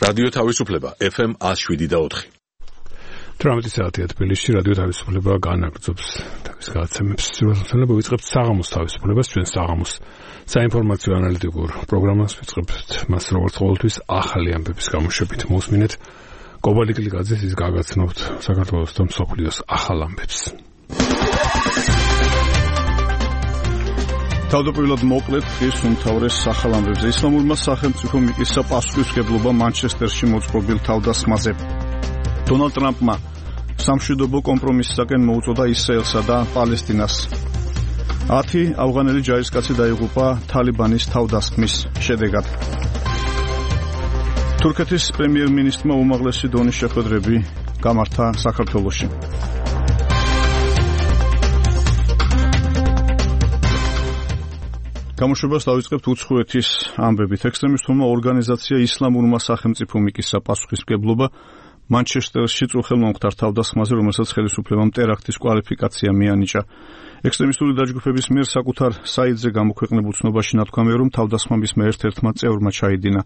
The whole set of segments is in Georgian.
რადიო თავისუფლება FM 107.4. 18 საათია თბილისში რადიო თავისუფლება განაგრძობს თავის გადაცემებს. სრულყოფილება ვიწყებთ საღამოს თავისუფლებას, ჩვენ საღამოს საინფორმაციო ანალიტიკურ პროგრამას ვიწყებთ. მას როგორც ყოველთვის ახალი ამბების გამოშვებით მოსმინეთ. კობალი კლიკაძეს ის გაგაცნობთ საქართველოს და მსოფლიოს ახალ ამბებს. თავდაპირველად მოკლედ ხის უმთავრეს ახალ ამბებზე. ისლამურმა სახელმწიფო მიწისა პასუხისმგებლობა მანჩესტერში მოწყობილ თავდასხმაზე. დონალდ ტრამპმა სამშვიდობო კომპრომისისაკენ მოუწოდა ისრაელსა და პალესტინას. 10 ავღანელი ჯარისკაცი დაიღუპა თალიბანის თავდასხმის შედეგად. თურქეთის პრემიერ-მინისტრმა უმაღლესი დონის შეხვედრები გამართა საქართველოში. გამოშვებას დავიწყებთ უცხოეთის ამბებით. ექსტრემისტულმა ორგანიზაცია ისლამურმა სახელმწიფო მიწისა პასუხისმგებლობა მანჩესტერში წუხელმომხდარ თავდასხმაზე, რომელსაც ხელისუფლებამ ტერაქტის კვალიფიკაცია მიანიჭა. ექსტრემისტული დაჯგუფების მიერ საკუთარ საიტზე გამოქვეყნებულ ცნობაში ნათქვამია, რომ თავდასხმების ერთ-ერთმა წევრმა ჩაიდინა.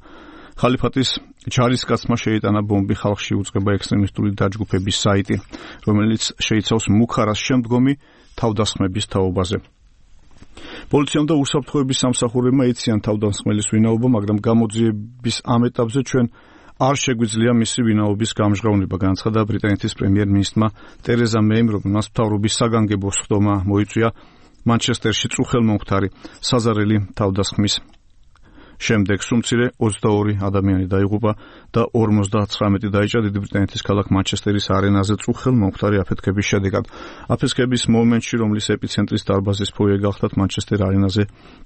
ხალიფატის ჯარისკაცმა შეიტანა ბომბი ხალხში უწყება ექსტრემისტული დაჯგუფების საიტი, რომელიც შეიცავს მუქარას შემდგომი თავდასხმების თაობაზე. პოლიციამ და უსაფრთხოების სამსახურებმა იციან თავდასხმელის ვინაობა, მაგრამ გამოძიების ამ ეტაპზე ჩვენ არ შეგვიძლია მისი ვინაობის გამჟღავნება, განაცხადა ბრიტანეთის პრემიერ-მინისტრმა ტერეზა მეიმ, რომელმაც მთავრობის საგანგებო სხდომა მოიწვია მანჩესტერში წუხელმომხდარი საზარელი თავდასხმის შემდეგ. სუმცირე 22 ადამიანი დაიღუპა და 59 დაიჭრა დიდი ბრიტანეთის ქალაქ მანჩესტერის არენაზე წუხელმომხდარი აფეთქების შედეგად. აფეთქების მომენტში, რომლის ეპიცენტრის დარბაზის ფოიე გახლდათ, მანჩესტერ არენაზე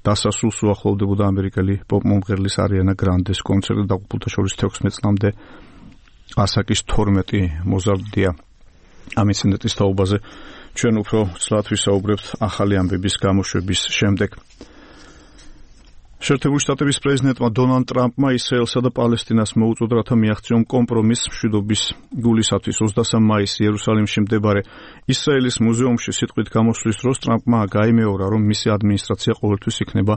დასასრულს უახლოვდებოდა ამერიკელი პოპ-მომღერლის არიანა გრანდეს კონცერტი. დაღუპულთა შორის 16 წლამდე ასაკის 12 მოზარდია. ამ ინციდენტის თაობაზე ჩვენ უფრო ცლად ვისაუბრებთ ახალი ამბების გამოშვების შემდეგ. შეერთებული შტატების პრეზიდენტმა დონალდ ტრამპმა ისრაელსა და პალესტინას მოუწოდა, რათა მიაღწიონ კომპრომისს მშვიდობის გულისათვის. 23 მაისს იერუსალიმში მდებარე ისრაელის მუზეუმში სიტყვით გამოსვლის დროს ტრამპმა გაიმეორა, რომ მისი ადმინისტრაცია ყოველთვის იქნება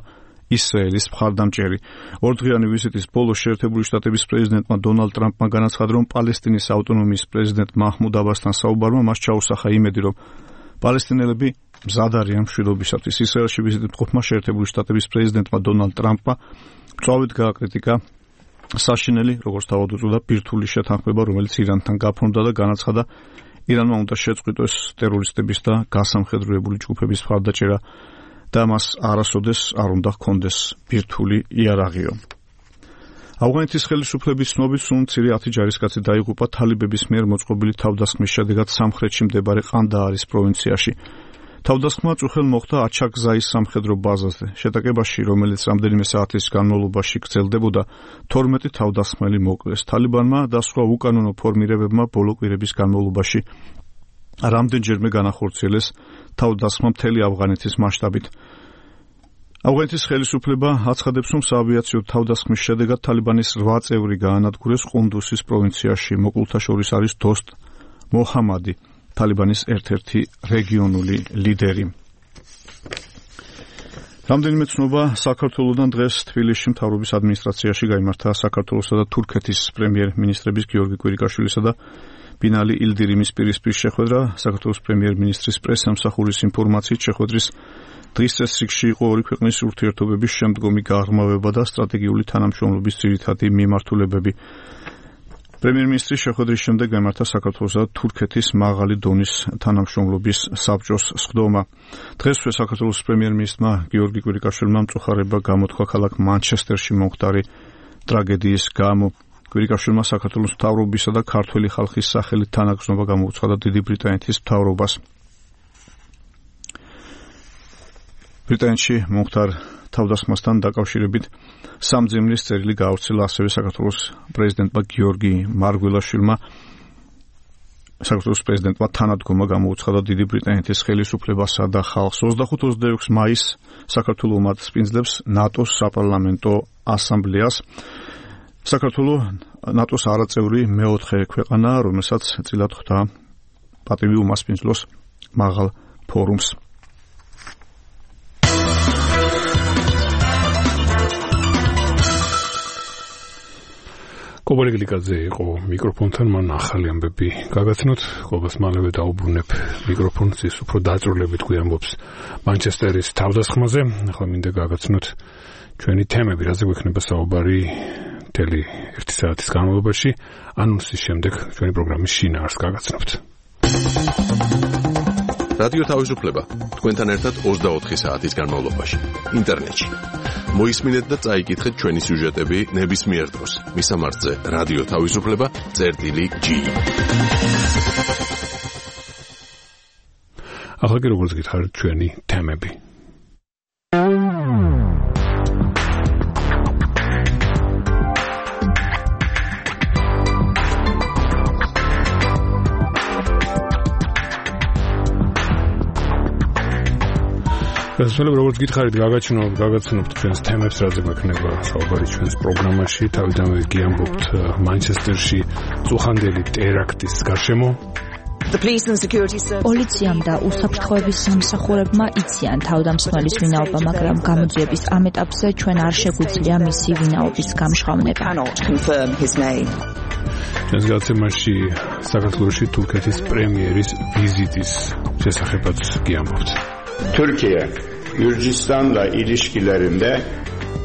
ისრაელის მხარდამჭერი. ორდღიანი ვიზიტის ბოლოს შეერთებული შტატების პრეზიდენტმა დონალდ ტრამპმა განაცხადა, რომ პალესტინის ავტონომიის პრეზიდენტ მაჰმუდ აბასთან საუბარმა მას ჩაუსახა იმედი, რომ პალესტინელები მზად არიან მშვიდობისათვის. ისრაელში ვიზიტით მყოფმა შეერთებული შტატების პრეზიდენტმა დონალდ ტრამპმა მწვავედ გააკრიტიკა საშინელი, როგორც თავად უწოდა, ბირთვული შეთანხმება, რომელიც ირანთან გაფორმდა და განაცხადა, ირანმა უნდა შეწყვიტოს ტერორისტების და გასამხედროებული ჯგუფების მხარდაჭერა და მას არასოდეს არ უნდა ჰქონდეს ბირთვული იარაღიო. ავღანეთის ხელისუფლების ცნობით სულ მცირე 10 ჯარისკაცი დაიღუპა თალიბების მიერ მოწყობილი თავდასხმის შედეგად სამხრეთში მდებარე ყანდაარის პროვინციაში. თავდასხმა წუხელ მოხდა აჩაკზაის სამხედრო ბაზაზე. შეტაკებაში, რომელიც რამდენიმე საათის განმავლობაში გრძელდებოდა, 12 თავდასხმელი მოკლეს. თალიბანმა და სხვა უკანონო ფორმირებებმა ბოლო კვირების განმავლობაში რამდენჯერმე განახორციელეს თავდასხმა მთელი ავღანეთის მასშტაბით. ავღანეთის ხელისუფლება აცხადებს, რომ საავიაციო თავდასხმის შედეგად თალიბანის 8 წევრი გაანადგურეს ყუნდუსის პროვინციაში. მოკლულთა შორის არის დოსტ მოჰამადი, თალიბანის ერთ-ერთი რეგიონული ლიდერი. რამდენიმე ცნობა საქართველოსთან დღეს თბილისში მთავრობის ადმინისტრაციაში გაიმართა საქართველოსა და თურქეთის პრემიერ-მინისტრების გიორგი კვირიკაშვილისა და ბინალი ილდირიმის პირისპირ შეხვედრა. საქართველოს პრემიერ-მინისტრის პრესსამსახურის ინფორმაციით შეხვედრის დღის წესრიგში იყო ორი ქვეყნის ურთიერთობების შემდგომი გაღრმავება და სტრატეგიული თანამშრომლობის ძირითადი მიმართულებები. პრემიერ-მინისტრის შეხვედრის შემდეგ გამართა საქართველოსა და თურქეთის მაღალი დონის თანამშრომლობის საბჭოს სხდომა. დღესვე საქართველოს პრემიერ-მინისტრმა გიორგი კვირიკაშვილმა მწუხარება გამოთქვა ქალაქ მანჩესტერში მომხდარი ტრაგედიის გამო. კვირიკაშვილმა საქართველოს მთავრობისა და ქართველი ხალხის სახელით თანაგრძნობა გამოუცხადა დიდი ბრიტანეთის მთავრობას. ბრიტანეთში მომხდარ თავდასხმასთან დაკავშირებით სამძიმრის წერილი გაავრცელა ასევე საქართველოს პრეზიდენტმა გიორგი მარგველაშვილმა. საქართველოს პრეზიდენტმა თანადგომა გამოუცხადა დიდი ბრიტანეთის ხელისუფლებასა და ხალხს. 25-26 მაისს საქართველო უმასპინძლებს ნატოს საპარლამენტო ასამბლეას. საქართველო ნატოს არაწევრი მეოთხე ქვეყანაა, რომელსაც წილად ხვდა პატივი უმასპინძლოს მაღალ ფორუმს. კობალე გლიკაძე იყო მიკროფონთან, მან ახალი ამბები გაგაცნოთ. ყოველს მალევე დაუბრუნებ მიკროფონს, ის უფრო დაწვრილებით გვიამბობს მანჩესტერის თავდასხმაზე. ახლა მინდა გაგაცნოთ ჩვენი თემები, რაზე გვექნება საუბარი მთელი 1 საათის განმავლობაში. ანონსის შემდეგ ჩვენი პროგრამის შინაარსს გაგაცნობთ. რადიო თავისუფლება თქვენთან ერთად 24 საათის განმავლობაში ინტერნეტში. მოისმინეთ და წაიკითხეთ ჩვენი სიუჟეტები ნებისმიერ დროს. მისამართზე რადიო თავისუფლება.g. ახლა კი როგორც გითხარით ჩვენი თემები. გასასვლელად როგორც გითხარით გაგაცნობთ ჩვენს თემებს, რაზე გვექნება საუბარი ჩვენს პროგრამაში. თავიდანვე გიამბობთ მანჩესტერში წუხანდელი ტერაქტის გარშემო. პოლიციამ და უსაფრთხოების სამსახურებმა იციან თავდამსხმელის ვინაობა, მაგრამ გამოძიების ამ ეტაპზე ჩვენ არ შეგვიძლია მისი ვინაობის გამჟღავნება. ჩვენს გადაცემაში საქართველოში თურქეთის პრემიერის ვიზიტის შესახებაც გიამბობთ. Türkiye, Gürcistan'la ilişkilerinde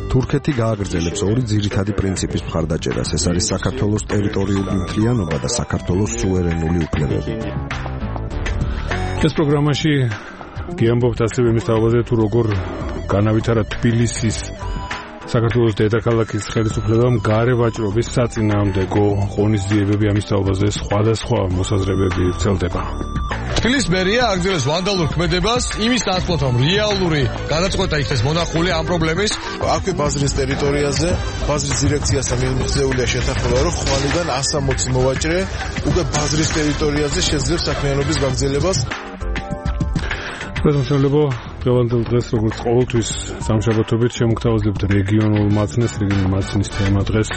თურქეთი გააგრძელებს ორი ძირითადი პრინციპის მხარდაჭერას. ეს არის საქართველოს ტერიტორიული მთლიანობა და საქართველოს სუვერენული უფლებები. ეს პროგრამაში გიამბობთ ასევე იმის თავაზე, თუ როგორ განავითარა თბილისის საქართველოს დედაქალაქის ხელისუფლებამ გარე ვაჭრობის საწინააღმდეგო ღონისძიებები. ამის თავაზე სხვადასხვა მოსაზრებები ვრცელდება. თბილისის მერია აგრძელებს ვანდალურ ქმედებას იმის ნაცვლად, რომ რეალური გადაწყვეტა იქნეს მონახული ამ პრობლემის. აქვე ბაზრის ტერიტორიაზე, ბაზრის დირექციასთან მიღწეულია შეთანხმება, რომ ხვალიდან 160 მოვაჭრე უკვე ბაზრის ტერიტორიაზე შეძლებს საქმიანობის გაგრძელებას. პრეზიდენტებო, დღევანდელ დღეს როგორც ყოველთვის სამშაბათობით შემოგთავაზებთ რეგიონულ მაცნეს, რეგიონული მაცნის თემა დღეს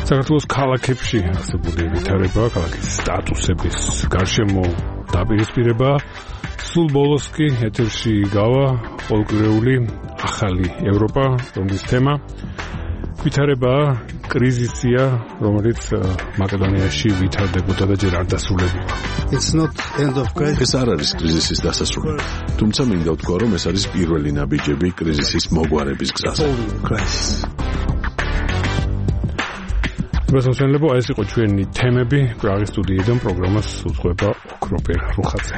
საქართველოს ქალაქებში არსებული ვითარება, ქალაქის სტატუსების გარშემო დაპირისპირება. სულ ბოლოს კი ეთერში გავა ყოველკვირეული ახალი ევროპა, რომლის თემა ვითარება კრიზისია, რომელიც მაკედონიაში ვითარდებოდა და ჯერ არ დასრულებულა. ეს არ არის კრიზისის დასასრული, თუმცა მინდა ვთქვა, რომ ეს არის პირველი ნაბიჯები კრიზისის მოგვარების გზაზე. გასასვლელებო, ეს იყო ჩვენი თემები. პრაღის სტუდიიდან პროგრამას უძღვება ოქროპერ რუხაძე.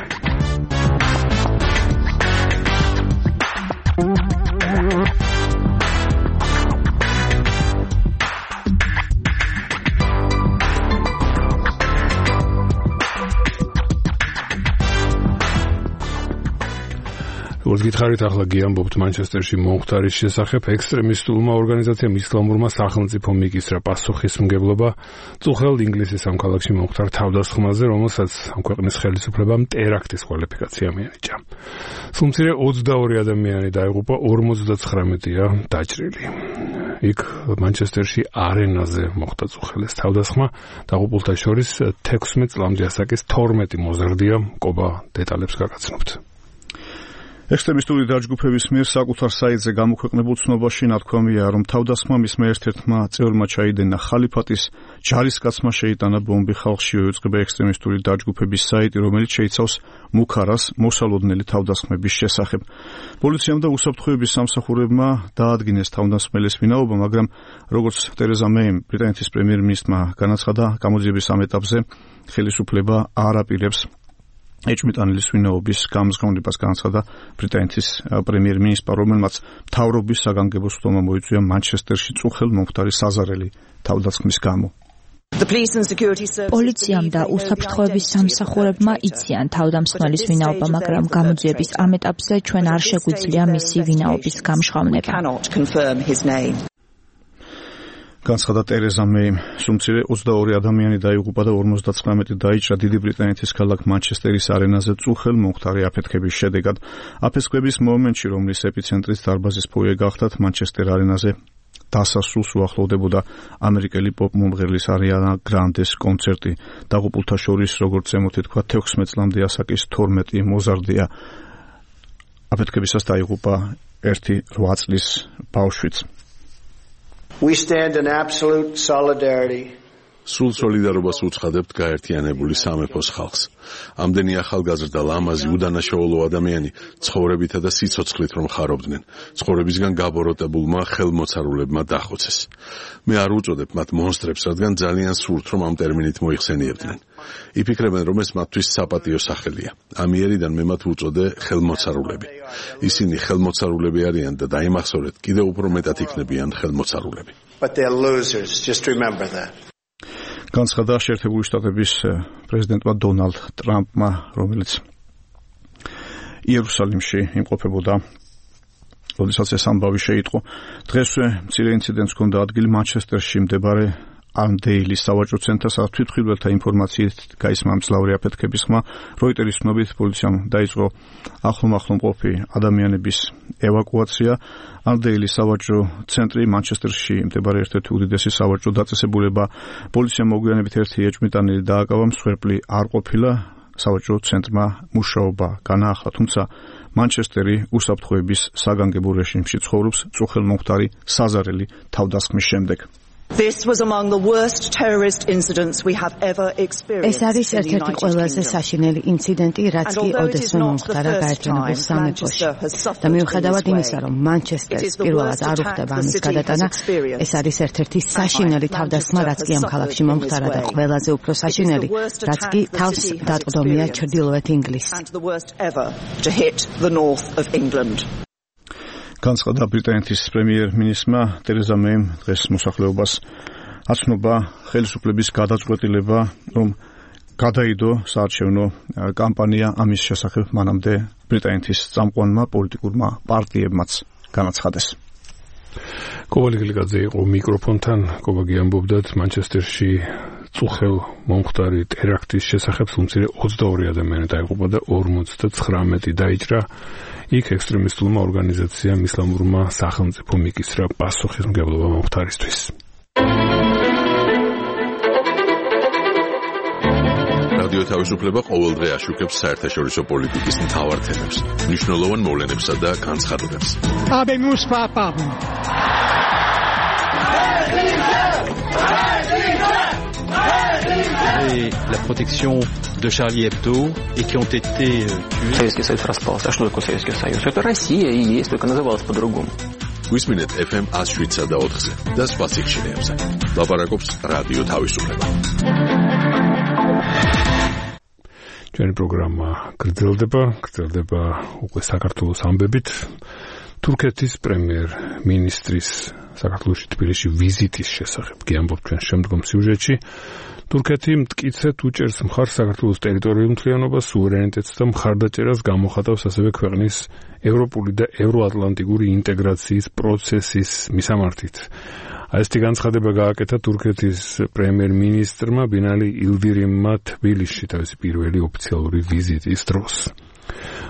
როგორც გითხარით, ახლა გიამბობთ მანჩესტერში მომხდარის შესახებ. ექსტრემისტულმა ორგანიზაციამ ისლამურმა სახელმწიფომ მიკისრა პასუხისმგებლობა წუხელ ინგლისის ამ ქალაქში მომხდარ თავდასხმაზე, რომელსაც ამ ქვეყნის ხელისუფლებამ ტერაქტის კვალიფიკაცია მიანიჭა. სულ მცირე 22 ადამიანი დაიღუპა, 59-ია დაჭრილი. იქ მანჩესტერში არენაზე მოხდა წუხელის თავდასხმა. დაღუპულთა შორის 16 წლამდე ასაკის 12 მოზრდია. ყობა დეტალებს გაგაცნობთ. ექსტრემისტული დაჯგუფების მიერ საკუთარ საიტზე გამოქვეყნებულ ცნობაში ნათქვამია, რომ თავდასხმამისმა ერთ-ერთმა წევრმა ჩაიდენა ხალიფატის ჯარისკაცმა შეიტანა ბომბი ხალხში, იუწყება ექსტრემისტული დაჯგუფების საიტი, რომელიც შეიცავს მუქარას მოსალოდნელი თავდასხმების შესახებ. პოლიციამ და უსაფრთხოების სამსახურებმა დაადგინეს თავდასხმელის ვინაობა, მაგრამ როგორც ტერეზა მეიმ, ბრიტანეთის პრემიერ-მინისტრმა განაცხადა, გამოძიების ამ ეტაპზე ხელისუფლება არ აპირებს ეჭვმიტანილის ვინაობის გამზრდელობას. განაცხადა ბრიტანეთის პრემიერ-მინისტრმა, რომელმაც მთავრობის საგანგებო სხდომა მოიწვია მანჩესტერში წუხელ მომხდარი საზარელი თავდასხმის გამო. პოლიციამ და უსაფრთხოების სამსახურებმა იციან თავდამსხმელის ვინაობა, მაგრამ გამოძიების ამ ეტაპზე ჩვენ არ შეგვიძლია მისი ვინაობის გამჟღავნება. განცხადა ტერეზა მეიმ. სულ მცირე 22 ადამიანი დაიღუპა და 59 დაიჭრა დიდი ბრიტანეთის ქალაქ მანჩესტერის არენაზე წუხელ მომხდარი აფეთქების შედეგად. აფეთქების მომენტში, რომლის ეპიცენტრის დარბაზის ფოიე გახდათ, მანჩესტერ არენაზე დასასრულს უახლოვდებოდა ამერიკელი პოპ მომღერლის არიანა გრანდეს კონცერტი. დაღუპულთა შორის, როგორც ზემოთი თქვა, 16 წლამდე ასაკის 12 მოზარდია. აფეთქებისას დაიღუპა 8 წლის ბავშვიც. We stand in absolute solidarity სულ სოლიდარობას უცხადებთ გაერთიანებული სამეფოს ხალხს. ამდენი ახალგაზრდა, ლამაზი, უდანაშაულო ადამიანი ცხოვრებითა და სიცოცხლით რომ ხარობდნენ, ცხოვრებისგან გაბოროტებულმა ხელმოცარულებმა დახოცეს. მე არ უწოდებ მათ მონსტრებს, რადგან ძალიან სურთ რომ ამ ტერმინით მოიხსენიებდნენ. იფიქრებენ რომ ეს მათთვის საპატიო სახელია. ამიერიდან მე მათ უწოდე ხელმოცარულები. ისინი ხელმოცარულები არიან და დაიმახსოვრეთ, კიდევ უფრო მეტად იქნებიან ხელმოცარულები. But they're losers, just remember that. განცხადა შეერთებული შტატების პრეზიდენტმა დონალდ ტრამპმა, რომელიც იერუსალიმში იმყოფებოდა, როდესაც ეს ამბავი შეიტყო. დღესვე მცირე ინციდენტს ჰქონდა ადგილი მანჩესტერში მდებარე ამდეილის სავაჭრო ცენტრს, სადაც თვითმხილველთა ინფორმაციით გაისმა მძლავრი აფეთქების ხმა. როიტერის ცნობით პოლიციამ დაიწყო ახლომახლო მყოფი ადამიანების ევაკუაცია. ამდეილის სავაჭრო ცენტრი მანჩესტერში მდებარე ერთ-ერთი უდიდესი სავაჭრო დაწესებულება. პოლიციამ მოგვიანებით ერთი ეჭვმიტანილი დააკავა, მსხვერპლი არ ყოფილა. სავაჭრო ცენტრმა მუშაობა განაახლა, თუმცა მანჩესტერი უსაფრთხოების საგანგებო რეჟიმში ცხოვრობს წუხელმომხდარი საზარელი თავდასხმის შემდეგ. This was among the worst terrorist incidents we have ever experienced. ეს არის ერთ-ერთი ყველაზე საშინელი ინციდენტი, რაც კი ოდესმე მომხდარა გაერთიანებულ სამეფოში. და მიუხედავად იმისა, რომ მანჩესტერს პირველად არ უხდება ამის გადატანა, ეს არის ერთ-ერთი საშინელი თავდასხმა, რაც კი ამ ქალაქში მომხდარა და ყველაზე უფრო საშინელი, რაც კი თავს დატყდომია ჩრდილოეთ ინგლისს. განცხადა ბრიტანეთის პრემიერ-მინისტრმა ტერეზა მეიმ დღეს მოსახლეობას აცნობა ხელისუფლების გადაწყვეტილება, რომ გადაიდო საარჩევნო კამპანია ამის შესახებ მანამდე ბრიტანეთის წამყვანმა პოლიტიკურმა პარტიებმაც განაცხადეს. კოვალ გილიკაძე იყო მიკროფონთან, კოვაგი ამბობდათ მანჩესტერში წუხელ მომხდარი ტერაქტის შესახებ უმცირე 22 ადამიანი დაიღუპა და 59 დაიჭრა. იქ ექსტრემისტულმა ორგანიზაციამ ისლამურმა სახელმწიფო მიკისრა პასუხისმგებლობა მომხდარისთვის. რადიო თავისუფლება ყოველდღე აშუქებს საერთაშორისო პოლიტიკის მთავარ თემებს, მნიშვნელოვან მოვლენებსა და განცხადებებს. La protection de Charlie Hebdo et qui ont été tués. Советский Союз распался. А что такое Советский Союз? Это Россия и есть, только называлась по-другому. Висминет FM 107.4-ზე და სხვა სიხშირეებზე. ლაპარაკობს რადიო თავისუფლება. ჩვენი პროგრამა გრძელდება უკვე საქართველოს ამბებით. თურქეთის პრემიერ-მინისტრის საქართველოში თბილისში ვიზიტის შესახებ გიამბობთ ჩვენ შემდგომ სიუჟეტში. თურქეთი მტკიცედ უჭერს მხარს საქართველოს ტერიტორიულ მთლიანობას, სუვერენიტეტს და მხარდაჭერას გამოხატავს ასევე ქვეყნის ევროპული და ევროატლანტიკური ინტეგრაციის პროცესის მისამართით. ასეთი განცხადება გააკეთა თურქეთის პრემიერ-მინისტრმა ბინალი ილდირიმმა თბილისში თავისი პირველი ოფიციალური ვიზიტის დროს.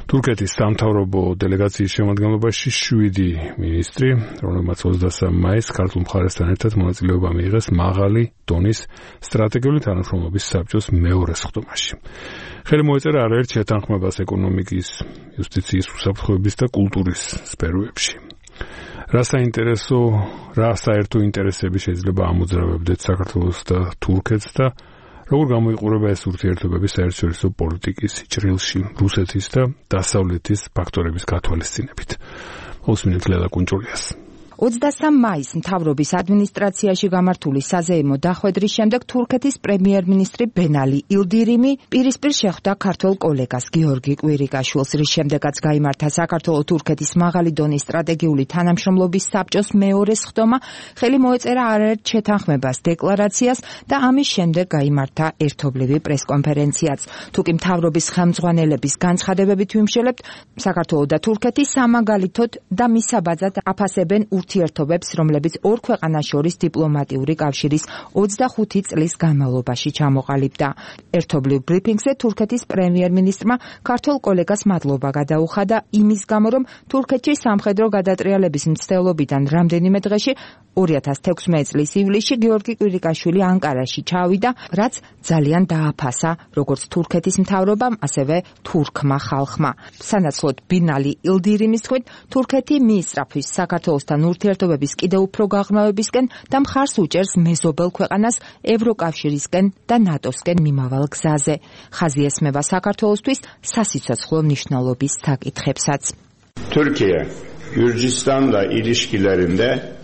თურქეთის სამთავრობო დელეგაციის შემადგენლობაში 7 მინისტრი, რომელმაც 23 მაისს ქართულ მხარესთან ერთად მონაწილეობა მიიღეს მაღალი დონის სტრატეგიული თანამშრომლობის საბჭოს მეორე სხდომაში. ხელი მოეწერა არაერთ შეთანხმებას ეკონომიკის, იუსტიციის, უსაფრთხოების და კულტურის სფეროებში. რა საერთო ინტერესები შეიძლება ამოძრავებდეთ საქართველოს და თურქეთს და როგორ გამოიყურება ეს ურთიერთობები საერთაშორისო პოლიტიკის ჭრილში რუსეთის და დასავლეთის ფაქტორების გათვალისწინებით. უსმინეთ ლელა კუნჭულიას. 23 მაისს მთავრობის ადმინისტრაციაში გამართული საზეიმო დახვედრის შემდეგ თურქეთის პრემიერ-მინისტრი ბენალი ილდირიმი პირისპირ შეხვდა ქართველ კოლეგას გიორგი კვირიკაშვილს, რის შემდეგაც გაიმართა საქართველო-თურქეთის მაღალი დონის სტრატეგიული თანამშრომლობის საბჭოს მეორე სხდომა, ხელი მოეწერა არაერთ შეთანხმებას დეკლარაციას და ამის შემდეგ გაიმართა ერთობლივი პრესკონფერენციაც. თუკი მთავრობის ხელმძღვანელების განცხადებებით ვიმშელებთ, საქართველო და თურქეთი სამაგალითოდ და მისაბაძად აფასებენ ურთიერთობებს, რომლებიც ორ ქვეყანას შორის დიპლომატიური კავშირის 25 წლის განმავლობაში ჩამოყალიბდა. ერთობლივ ბრიფინგზე თურქეთის პრემიერ-მინისტრმა ქართველ კოლეგას მადლობა გადაუხადა იმის გამო, რომ თურქეთში სამხედრო გადატრიალების მცდელობიდან რამდენიმე დღეში 2016 წლის ივლისში გიორგი კვირიკაშვილი ანკარაში ჩავიდა, რაც ძალიან დააფასა როგორც თურქეთის მთავრობამ, ასევე თურქმა ხალხმა. სანაცვლოდ ბინალი ილდირიმის თქმით, თურქეთი მიისწრაფვის საქართველოსთან ურთიერთობების კიდევ უფრო გაღრმავებისკენ და მხარს უჭერს მეზობელ ქვეყანას ევროკავშირისკენ და ნატოსკენ მიმავალ გზაზე. ხაზი ესმება საქართველოსთვის სასიცოცხლო მნიშვნელობის საკითხებსაც. Türkiye, Gürcistan'la ilişkilerinde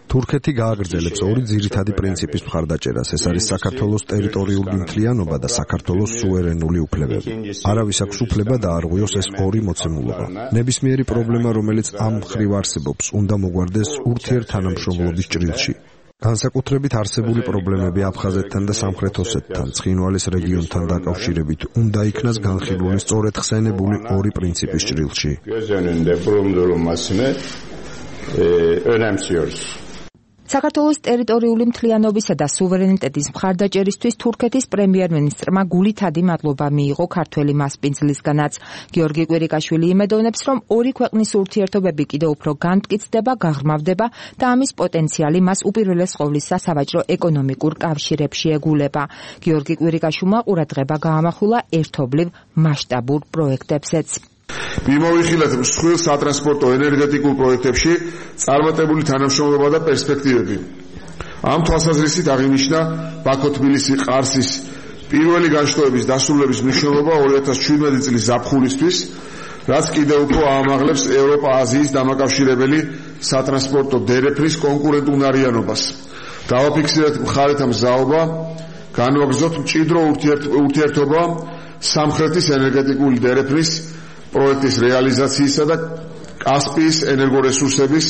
თურქეთი გააგრძელებს ორი ძირითადი პრინციპის მხარდაჭერას. ეს არის საქართველოს ტერიტორიული მთლიანობა და საქართველოს სუვერენული უფლებები. არავის აქვს უფლება დაარღვიოს ეს ორი მოცემულობა. ნებისმიერი პრობლემა, რომელიც ამ მხრივ არსებობს, უნდა მოგვარდეს ურთიერთთანამშრომლობის ჭრილში. განსაკუთრებით არსებული პრობლემები აფხაზეთთან და სამხრეთ ოსეთთან, ცხინვალის რეგიონთან დაკავშირებით უნდა იქნას განხილული სწორედ ხსენებული ორი პრინციპის ჭრილში. göz önünde bulundurulmasını önemsiyoruz. საქართველოს ტერიტორიული მთლიანობისა და სუვერენიტეტის მხარდაჭერისთვის თურქეთის პრემიერ-მინისტრმა გულითადი მადლობა მიიღო ქართველი მასპინძლისგანაც. გიორგი კვირიკაშვილი იმედოვნებს, რომ ორი ქვეყნის ურთიერთობები კიდევ უფრო განმტკიცდება, გაღრმავდება და ამის პოტენციალი მას უპირველეს ყოვლისა სავაჭრო ეკონომიკურ კავშირებში ეგულება. გიორგი კვირიკაშვილმა ყურადღება გაამახვილა ერთობლივ მასშტაბურ პროექტებზეც. მიმოვიხილეთ მსხვილ სატრანსპორტო ენერგეტიკულ პროექტებში წარმატებული თანამშრომლობა და პერსპექტივები. ამ თვალსაზრისით აღინიშნა ბაქო-თბილისი-ყარსის პირველი განშტოების დასრულების მნიშვნელობა 2017 წლის ზაფხულისთვის, რაც კიდევ უფრო აამაღლებს ევროპა-აზიის დამაკავშირებელი სატრანსპორტო დერეფნის კონკურენტუნარიანობას. დავაფიქსირეთ მხარეთა მზაობა, განვაგრძოთ მჭიდრო ურთიერთობა სამხრეთის ენერგეტიკული დერეფნის პროექტის რეალიზაციისა და კასპიის ენერგორესურსების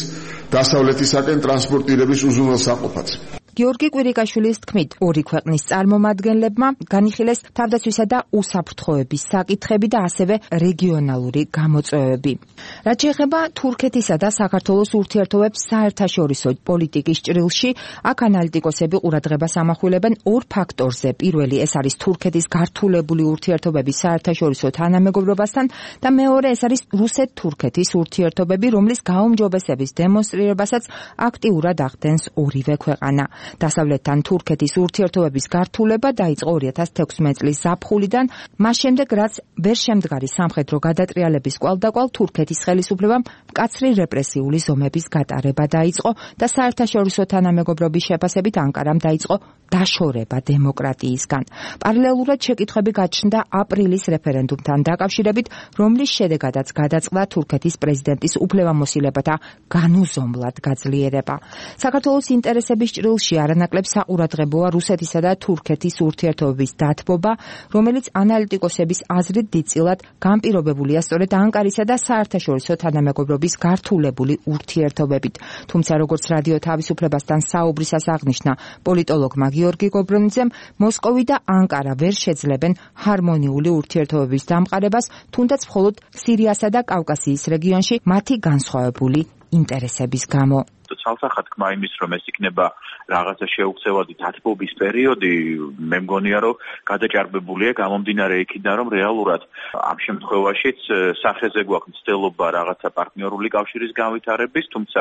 დასავლეთისაკენ ტრანსპორტირების უზრუნველსაყოფად. გიორგი კვირიკაშვილის თქმით, ორი ქვეყნის წარმომადგენლებმა განიხილეს თავდაცვისა და უსაფრთხოების საკითხები და ასევე რეგიონალური გამოწვევები. რაც შეეხება თურქეთისა და საქართველოს ურთიერთობებს საერთაშორისო პოლიტიკის ჭრილში, აქ ანალიტიკოსები ყურადღებას ამახვილებენ ორ ფაქტორზე. პირველი ეს არის თურქეთის გართულებული ურთიერთობების საერთაშორისო თანამეგობრობასთან და მეორე ეს არის რუსეთ-თურქეთის ურთიერთობები, რომლის გაუმჯობესების დემონსტრირებასაც აქტიურად ახდენს ორივე ქვეყანა. დასავლეთთან თურქეთის ურთიერთობების გართულება დაიწყო 2016 წლის ზაფხულიდან, მას შემდეგ რაც ვერ შემდგარი სამხედრო გადატრიალების კვალდაკვალ თურქეთის ხელისუფლებამ მკაცრი რეპრესიული ზომების გატარება დაიწყო და საერთაშორისო თანამეგობრობის შეფასებით ანკარამ დაიწყო დაშორება დემოკრატიისგან. პარალელურად შეკითხვები გაჩნდა აპრილის რეფერენდუმთან დაკავშირებით, რომლის შედეგადაც გადაწყდა თურქეთის პრეზიდენტის უფლებამოსილებათა განუზომლად გაძლიერება. საქართველოს ინტერესების ჭრილში არანაკლებ საყურადღებოა რუსეთისა და თურქეთის ურთიერთობების დათბობა, რომელიც ანალიტიკოსების აზრით დიდწილად განპირობებულია სწორედ ანკარისა და საერთაშორისო თანამეგობრობის გართულებული ურთიერთობებით. თუმცა როგორც რადიო თავისუფლებასთან საუბრისას აღნიშნა პოლიტოლოგმა გიორგი გობრონიძემ, მოსკოვი და ანკარა ვერ შეძლებენ ჰარმონიული ურთიერთობების დამყარებას, თუნდაც მხოლოდ სირიასა და კავკასიის რეგიონში მათი განსხვავებული ინტერესების გამო. ცალსახად თქმა იმის, რომ ეს იქნება რაღაცა შეუქცევადი დათბობის პერიოდი, მე მგონია, რომ გადაჭარბებულია გამომდინარე იქიდან, რომ რეალურად ამ შემთხვევაშიც სახეზე გვაქვს მცდელობა რაღაცა პარტნიორული კავშირის განვითარების, თუმცა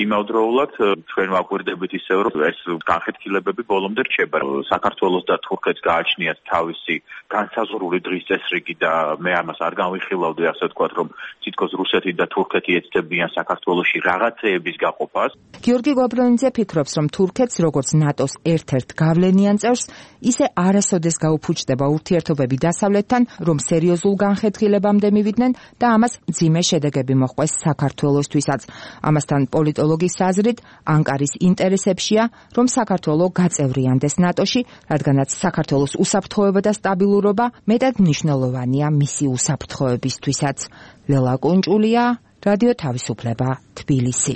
იმავდროულად ჩვენ ვაკვირდებით ისევ, რომ ეს განხეთქილებები ბოლომდე რჩება. საქართველოს და თურქეთს გააჩნიათ თავისი განსაზღვრული დღის წესრიგი და მე ამას არ განვიხილავდი, ასე ვთქვათ, რომ თითქოს რუსეთი და თურქეთი ეცდებიან საქართველოში რაღაცეების გაყოფას. გიორგი გობრონიძე ფიქრობს, რომ თურქეთს როგორც ნატოს ერთ-ერთ გავლენიან წევრს, ისე არასოდეს გაუფუჭდება ურთიერთობები დასავლეთთან, რომ სერიოზულ განხეთქილებამდე მივიდნენ და ამას მძიმე შედეგები მოჰყვეს საქართველოსთვისაც. ამასთან პოლიტოლოგის აზრით, ანკარის ინტერესებშია, რომ საქართველო გაწევრიანდეს ნატოში, რადგანაც საქართველოს უსაფრთხოება და სტაბილურობა მეტად მნიშვნელოვანია მისი უსაფრთხოებისთვისაც. ლელა კუნჭულია, რადიო თავისუფლება, თბილისი.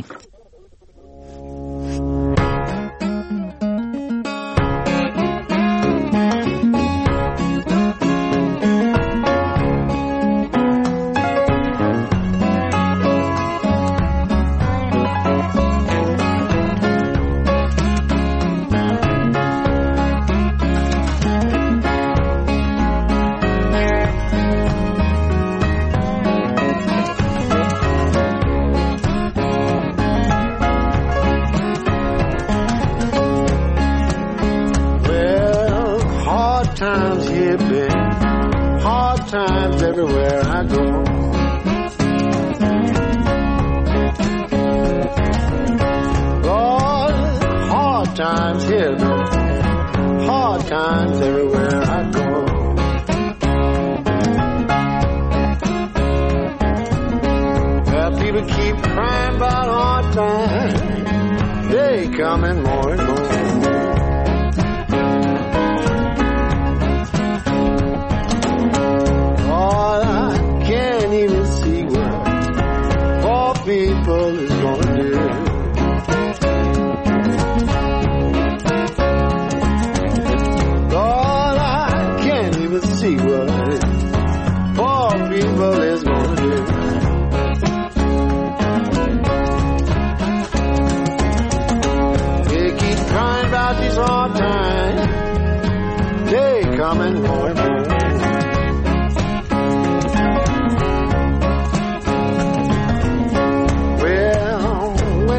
people keep crying about hard times. They coming more and more. Oh, I can't even see what poor people is gonna do. Lord, I can't even see what poor people is gonna do. They keep crying about these hard times. They coming more and more.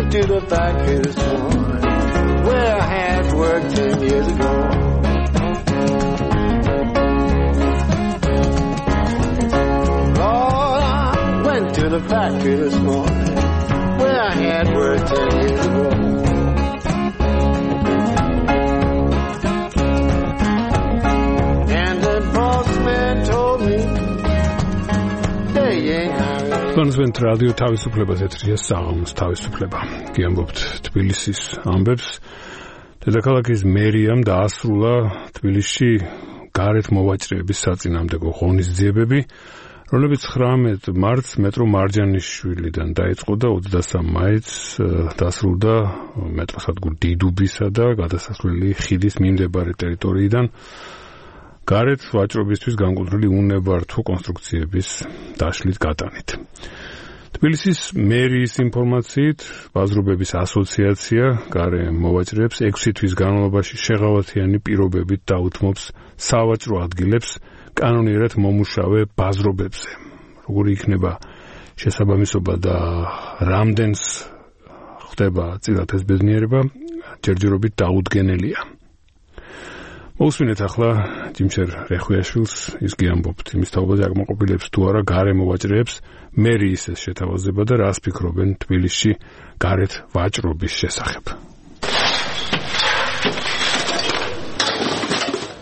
To the factory this morning where I had worked 10 years ago. Lord, I went to the factory this morning where I had worked 10 years ago. And the boss man told me they ain't hiring. კონსვენტ რადიო თავისუფლებას ეთრია საღამოს თავისუფლება. გიამბობთ თბილისის ამბებს. დედაქალაქის მერიამ დაასრულა თბილისში გარეთ მოვაჭრეების საწინააღმდეგო ღონისძიებები, რომლებიც 19 მარტს მეტრო მარჯანიშვილიდან დაიწყო და 23 მაისს დასრულდა მეტროსადგურ დიდუბისა და გადასასვლელი ხიდის მიმდებარე ტერიტორიიდან გარეთ ვაჭრობისთვის განკუთვნილი უნებართვო კონსტრუქციების დაშლით გატანით. თბილისის მერიის ინფორმაციით, ბაზრობების ასოციაცია გარე მოვაჭრეებს 6 თვის განმავლობაში შეღავათიანი პირობებით დაუთმობს სავაჭრო ადგილებს კანონიერად მომუშავე ბაზრობებზე. როგორი იქნება შესაბამისობა და რამდენს ხდება წილად ეს ბედნიერება, ჯერჯერობით დაუდგენელია. მოусმინეთ ახლა ჯიმშერ რეხვიაშვილს, ის გიამბობთ იმის თაობაზე აკმაყოფილებს თუ არა გარე მოვაჭრეებს მერიის ეს შეთავაზება და რას ფიქრობენ თბილისში გარეთ ვაჭრობის შესახებ.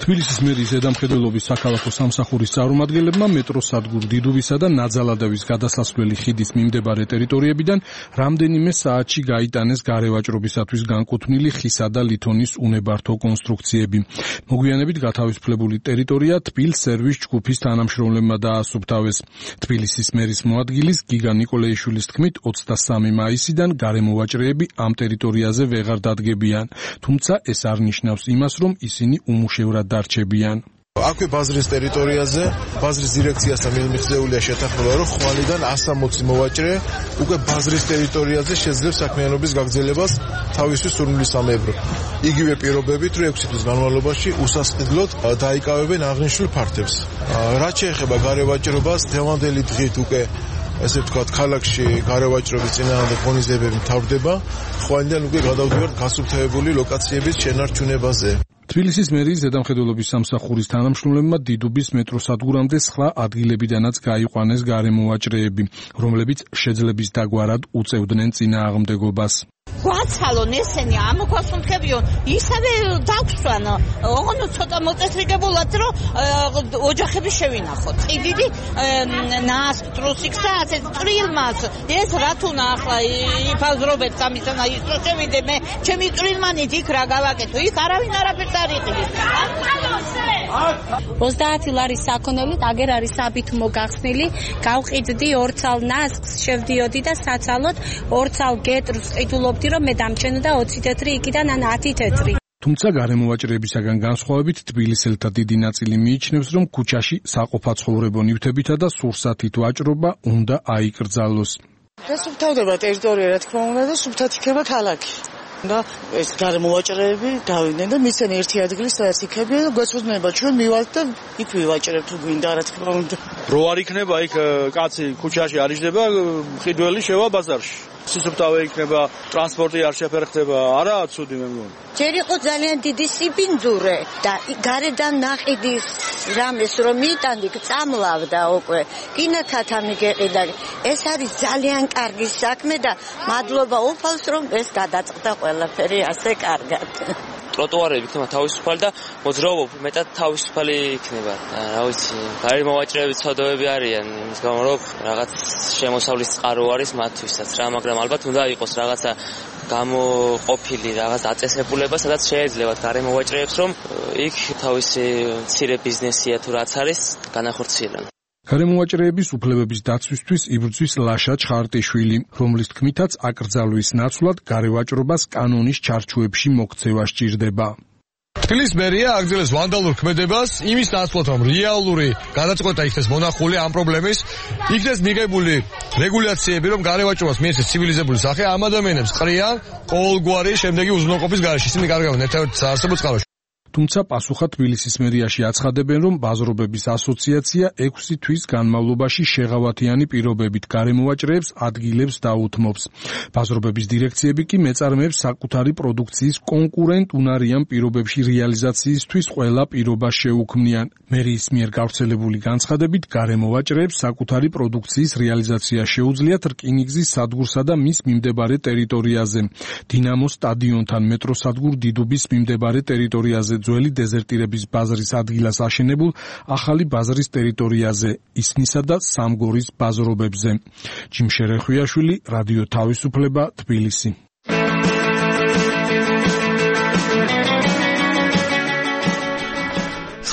თბილისის მერიის ზედამხედველობის საქალაქო სამსახურის წარმომადგენლებმა მეტროსადგურ დიდუბისა და ნაძალადავის გადასასვლელი ხიდის მიმდებარე ტერიტორიებიდან რამდენიმე საათში გაიტანეს გარევაჭრობისათვის განკუთვნილი ხისა და ლითონის უნებართვო კონსტრუქციები. მოგვიანებით გათავისუფლებული ტერიტორია თბილ სერვის ჯგუფის თანამშრომლებმა დაასუფთავეს. თბილისის მერის მოადგილის გიგა ნიკოლეიშვილის თქმით 23 მაისიდან გარემოვაჭრეები ამ ტერიტორიაზე ვეღარ დადგებიან, თუმცა ეს არ ნიშნავს იმას, რომ ისინი უმუშევრად დარჩებიან. აქვე ბაზრის ტერიტორიაზე ბაზრის დირექციასთან მიღწეულია შეთანხმება, რომ ხვალიდან 160 მოვაჭრე უკვე ბაზრის ტერიტორიაზე შეძლებს საქმიანობის გაგრძელებას თავისთვის სურვილისამებრ. იგივე პირობებით, რომ 6 თვის განმავლობაში უსასყიდლოდ დაიკავებენ აღნიშნულ ფართებს. რაც შეეხება გარევაჭრობას, დღევანდელი დღით უკვე ესე ვთქვათ, ქალაქში გარევაჭრობის წინააღმდეგ ღონისძიებები მთავრდება, ხვალიდან უკვე გადავდივართ გასუფთავებული ლოკაციების შენარჩუნებაზე. თბილისის მერიის ზედამხედველობის სამსახურის თანამშრომლებმა დიდუბის მეტროსადგურამდე სხვა ადგილებიდანაც გაიყვანეს გარემოვაჭრეები, რომლებიც შეძლების დაგვარად უწევდნენ წინააღმდეგობას. გვაცალონ ესენი ამოგვასუნთქებიონ ისევე დაგვსვან ოღონდ ცოტა მოწესრიგებულად რომ ოჯახები შევინახოთ ყიდიდი ნასტრუსიქსა ასე წრილმას ეს რა თუნა ახლა იფაზრობებს ამისანა ის რო შევიდე მე ჩემი წრილმანით იქ რა გავაკეთო იქ არავინ არაფერს არ იყიდის 30 ლარის საქონელით აგერ არის საბით მოგახსნილი გავყიდდი ორცალ ნასკს შევდიოდი და საცალოდ ორცალ გეტრს ყიდულობდი რომ მე დამჩენო და 20 თეთრი იქიდან ან 10 თეთრი. თუმცა გარემოვაჭრეებისაგან განსხვავებით თბილისელთა დიდი ნაწილი მიიჩნევს, რომ ქუჩაში საყოფაცხოვრებო ნივთებითა და სურსათით ვაჭრობა უნდა აიკრძალოს. გასუფთავდება ტერიტორია, რა თქმა უნდა, და სუფთად იქნება ქალაქი. და ეს გარემოვაჭრეები დავიდნენ და მისცენ ერთი ადგილი, სადაც იქებიან და გვეცოდნება ჩვენ მივალთ და იქ ვივაჭრებთ თუ გვინდა, რა თქმა უნდა. რო არ იქნება იქ კაცი ქუჩაში არ იჯდება, მყიდველი შევა ბაზარში. სისუფთავე იქნება, ტრანსპორტი არ შეფერხდება, არაა ცუდი მე მგონი. ჯერ იყო ძალიან დიდი სიბინძურე და გარედან ნაყიდის რამეს რომ მიიტანდი, წამლავდა უკვე. კინოთათა მიგეყიდა. ეს არის ძალიან კარგი საქმე და მადლობა უფალს რომ ეს გადაწყდა ყველაფერი ასე კარგად. ტროტუარები იქნება თავისუფალი და მოძრაობა მეტად თავისუფალი იქნება. რა ვიცი, გარემოვაჭრეები ცოდოები არიან, იმის გამო რომ რაღაც შემოსავლის წყარო არის მათთვისაც რა, მაგრამ ალბათ უნდა იყოს რაღაცა გამოყოფილი რაღაც დაწესებულება, სადაც შეეძლებათ გარემოვაჭრეებს, რომ იქ თავისი მცირე ბიზნესია თუ რაც არის, განახორციელონ. გარემოვაჭრეების უფლებების დაცვისთვის იბრძვის ლაშა ჩხარტიშვილი, რომლის თქმითაც აკრძალვის ნაცვლად გარევაჭრობას კანონის ჩარჩოებში მოქცევა სჭირდება. თბილისის მერია აგრძელებს ვანდალურ ქმედებას იმის ნაცვლად, რომ რეალური გადაწყვეტა იქნეს მონახული ამ პრობლემის, იქნეს მიღებული რეგულაციები, რომ გარევაჭრობას მიეცეს ცივილიზებული სახე, ამ ადამიანებს ყრიან ყოველგვარი შემდეგი უზრუნველყოფის გარეშე. ისინი კარგავენ ერთადერთი საარსებო წყაროში. თუმცა პასუხად თბილისის მერიაში აცხადებენ, რომ ბაზრობების ასოციაცია 6 თვის განმავლობაში შეღავათიანი პირობებით გარემოვაჭრეებს ადგილებს დაუთმობს. ბაზრობების დირექციები კი მეწარმეებს საკუთარი პროდუქციის კონკურენტ უნარიან პირობებში რეალიზაციისთვის ყველა პირობას შეუქმნიან. მერიის მიერ გავრცელებული განცხადებით გარემოვაჭრეებს საკუთარი პროდუქციის რეალიზაცია შეუძლიათ რკინიგზის სადგურსა და მის მიმდებარე ტერიტორიაზე, დინამოს სტადიონთან, მეტროსადგურ დიდუბის მიმდებარე ტერიტორიაზე, ძველი დეზერტირების ბაზრის ადგილას აშენებულ ახალი ბაზრის ტერიტორიაზე, ისნისა და სამგორის ბაზრობებზე. ჯიმ შერეხვიაშვილი, რადიო თავისუფლება, თბილისი.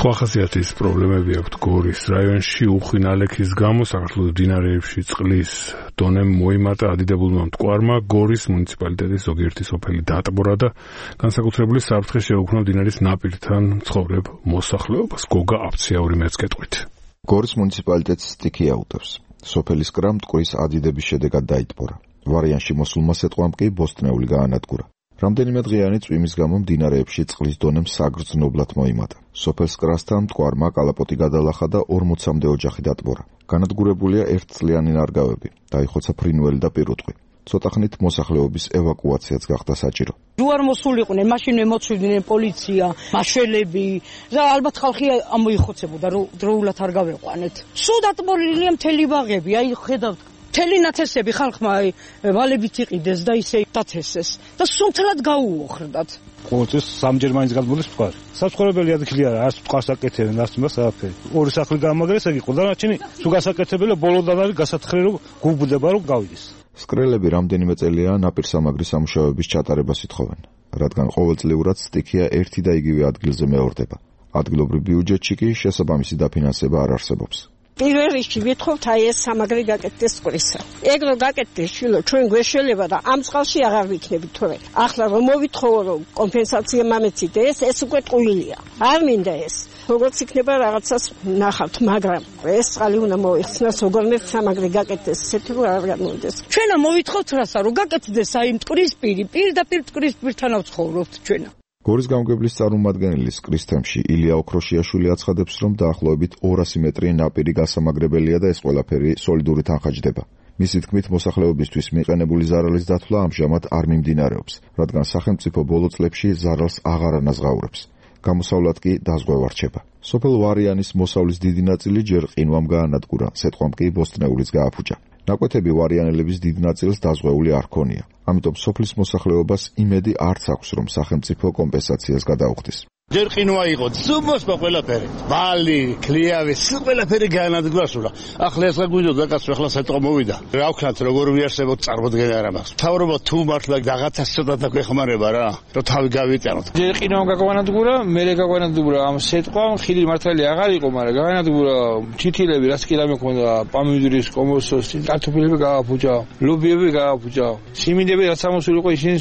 სხვა ხასიათის პრობლემები აქვთ გორის რაიონში. უხინალექის გამო საქართველოს მდინარეებში წყლის დონე მოიმატა ადიდებულმა მტკვარმა. გორის მუნიციპალიტეტის ზოგიერთი სოფელი დაატბორა და განსაკუთრებული საფრთხე შეუქმნა მდინარის ნაპირთან მცხოვრებ მოსახლეობას. გოგა აფციაური მეც გეტყვით. გორის მუნიციპალიტეტს სტიქია უტევს. სოფელის კრა მტკვრის ადიდების შედეგად დაიტბორა. ვარიანში მოსულმა სეტყვამ კი ბოსტნეული გაანადგურა. რამდენიმე დღიანი წვიმის გამო მდინარეებში წყლის დონემ საგრძნობლად მოიმატა. სოფელს კრასთან მტკვარმა კალაპოტი გადალახა და 40-მდე ოჯახი დატბორა. განადგურებულია ერთწლიანი ნარგავები, დაიხოცა ფრინველი და პირუტყვი. ცოტა ხნით მოსახლეობის ევაკუაციაც გახდა საჭირო. ჯუარ მოსულიყვნენ, მაშინ მემოცვიდნენ პოლიცია, მაშველები და ალბათ ხალხი ამოიხოცებოდა, რომ დროულად არ გავეყვანეთ. სულ დატბორილია მთელი ბაღები, აი ხედავთ მთელი ნათესები ხალხმა ვალებით იყიდეს და ისე დათესეს და სულთლად გაუოხრდათ. ყოველთვის სამჯერ მაინც გადმოდის მტკვარი. საცხოვრებელი ადგილი არა, არც მტკვარს აკეთებენ, არც იმას არაფერი. ორი სახლი გამაგრეს, ეგ იყო და რაჩენი თუ გასაკეთებელია ბოლოდან არის გასათხრე რომ გუბდება რომ გავიდეს. სკრელები რამდენიმე წელია ნაპირსამაგრის სამუშაოების ჩატარებას ითხოვენ, რადგან ყოველწლიურად სტიქია ერთი და იგივე ადგილზე მეორდება. ადგილობრივ ბიუჯეტში კი შესაბამისი დაფინანსება არ არსებობს. პირველ რიგში ვითხოვთ აი ეს სამაგრი გაკეთდეს მტკვრისა. ეგ რო გაკეთდეს შილო ჩვენ გვეშველება და ამ წყალში აღარ ვიქნებით თორე. ახლა რომ მოვითხოვო რომ კომპენსაცია მამეციდე ეს უკვე ტყუილია. არ მინდა ეს. როგორც იქნება რაღაცას ნახავთ, მაგრამ ეს წყალი უნდა მოიხსნას, როგორმე სამაგრი გაკეთდეს, ესეთი რომ არ გამოვიდეს. ჩვენა მოვითხოვთ რასა რომ გაკეთდეს აი მტკვრის პირდაპირ მტკვრის პირთან ავცხოვრობთ ჩვენა. გორის გამგებლის წარმომადგენლის კრის თემში ილია ოქროშიაშვილი აცხადებს, რომ დაახლოებით 200 მეტრი ნაპირი გასამაგრებელია და ეს ყველაფერი სოლიდური თანხაჯდება. მისი თქმით, მოსახლეობისთვის მიყენებული ზარალის დათვლა ამჟამად არ მიმდინარეობს, რადგან სახელმწიფო ბოლო წლებში ზარალს აღარ ანაზღაურებს. გამოსავლად კი დაზღვევა რჩება. სოფელ ვარიანის მოსავლის დიდი ნაწილი ჯერ ყინვამ გაანადგურა, სეტყვამ კი ბოსტნეულიც გააფუჭა. ნაკვეთები ვარიანელების დიდ ნაწილს დაზღვეული არ ქონია. ამიტომ სოფლის მოსახლეობას იმედი არც აქვს, რომ სახელმწიფო კომპენსაციას გადაუხდის. ჯერ ყინვა იყო, სუმოსმა ყველაფერი. ბალი, ქლიავი, ყველაფერი გაანადგურა სულა. ახლა ეს გაგვიდოდა კაცო, ახლა სეტყვა მოვიდა. რა ვქნათ, როგორ ვიარსებოთ წარმოდგენა არ მაქვს. თავრობა თუ მართლა რაღაცას ცოტა დაგვეხმარება რა, რომ თავი გავიტანოთ. ჯერ ყინვა გაგვანადგურა, მერე გაგვანადგურა ამ სეტყვამ, ხილი მართალი აღარ იყო, მაგრამ გაანადგურა თითილები, რაც კი რამე ქონდა, პამიდურის, კომოსოს, კარტოფილები გააფუჭა, ლობიები გააფუჭა. სიმინდები რაც ამოსული იყო ისინი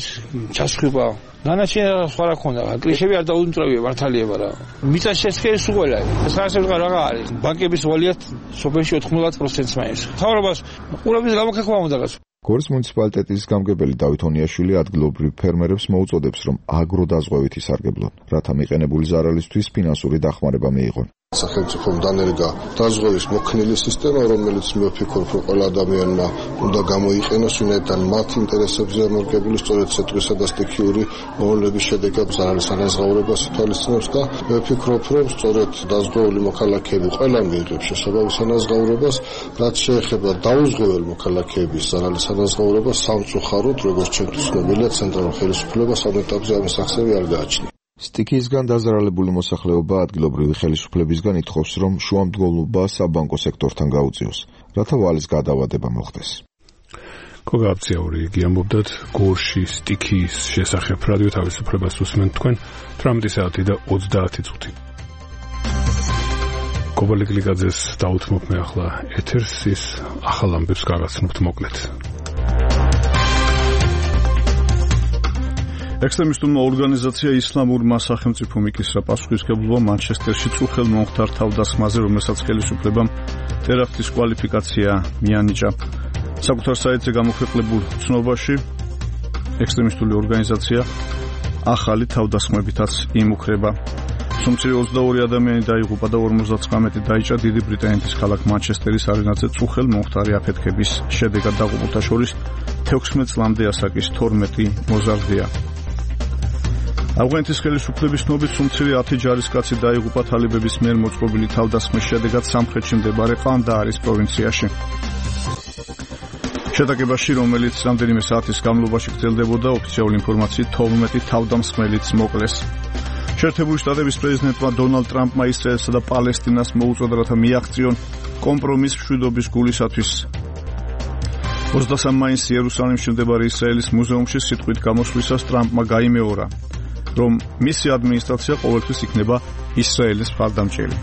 ჩასხიბა. ნანაშენ სხვა რა ქონდა, კლიშები არ დაუნწრავია მართალია რა. მიწა შესქერის უყველა. ეს არსებობა რა არის? ბანკების ვალიათ სოფელში 90%-ს მაინც. თავრობას ყურების გამოქექვა უნდა გასულ. გორის მუნიციპალიტეტის გამგებელი დავით ონიაშვილი ადგილობრივ ფერმერებს მოუწოდებს, რომ აგროდაზღვევით ისარგებლონ, რათა მიყენებული ზარალისთვის ფინანსური დახმარება მიიღონ. სახელმწიფომ დანერგა დაზღვევის მოქნილი სისტემა, რომელიც მე ვფიქრობ, რომ ყველა ადამიანმა უნდა გამოიყენოს, ვინაიდან მათ ინტერესებზე ამორგებული სწორედ სეტყვისა და სტიქიური მოვლენების შედეგად ზარალის ანაზღაურებას ითვალისწინებს და მე ვფიქრობ, რომ სწორედ დაზღვეული მოქალაქეები ყველა მიიღებს შესაბამის ანაზღაურებას, რაც შეეხება დაუზღვეველ მოქალაქეების ზარალის ანაზღაურებას სამწუხაროდ, როგორც ჩემთვის ცნობილია, ცენტრალურ ხელისუფლებას ამ ეტაპზე ამის ახსნები არ გააჩნია. სტიქიისგან დაზარალებული მოსახლეობა ადგილობრივი ხელისუფლებისგან ითხოვს, რომ შუამდგომლობა საბანკო სექტორთან გაუწიოს, რათა ვალის გადავადება მოხდეს. კოგაპციაური იგი ამბობდათ გორში სტიქიის შესახებ რადიო თავისუფლებას უსმენთ თქვენ 18 საათი და 30 წუთი. კობალე გლიკაძეს დაუთმობ მე ახლა ეთერს ის ახალ ამბებს გაგაცნობთ მოკლედ. ექსტრემისტულმა ორგანიზაცია ისლამურმა სახელმწიფომ იკისრა პასუხისმგებლობა მანჩესტერში წუხელ მომხდარ თავდასხმაზე, რომელსაც ხელისუფლებამ ტერაქტის კვალიფიკაცია მიანიჭა. საკუთარ საიტზე გამოქვეყნებულ ცნობაში ექსტრემისტული ორგანიზაცია ახალი თავდასხმებითაც იმუქრება. სომცირე 22 ადამიანი დაიღუპა და 59 დაიჭრა დიდი ბრიტანეთის ქალაქ მანჩესტერის არენაზე წუხელ მომხდარი აფეთქების შედეგად დაღუპულთა შორის 16 წლამდე ასაკის 12 მოზარდია. ავღანეთის ხელისუფლების ცნობით სომცირე 10 ჯარისკაცი დაიღუპა თალიბების მიერ მოწყობილი თავდასხმის შედეგად სამხრეთში მდებარე ყანდაარის პროვინციაში. შეტაკებაში, რომელიც რამდენიმე საათის განმავლობაში გრძელდებოდა, ოფიციალური ინფორმაციით 12 თავდამსხმელიც მოკლეს. შეერთებული შტატების პრეზიდენტმა დონალდ ტრამპმა ისრაელსა და პალესტინას მოუწოდა, რათა მიაღწიონ კომპრომის მშვიდობის გულისათვის. 23 მაისს იერუსალიმში მდებარე ისრაელის მუზეუმში სიტყვით გამოსვლისას ტრამპმა გაიმეორა, რომ მისი ადმინისტრაცია ყოველთვის იქნება ისრაელის მხარდამჭერი.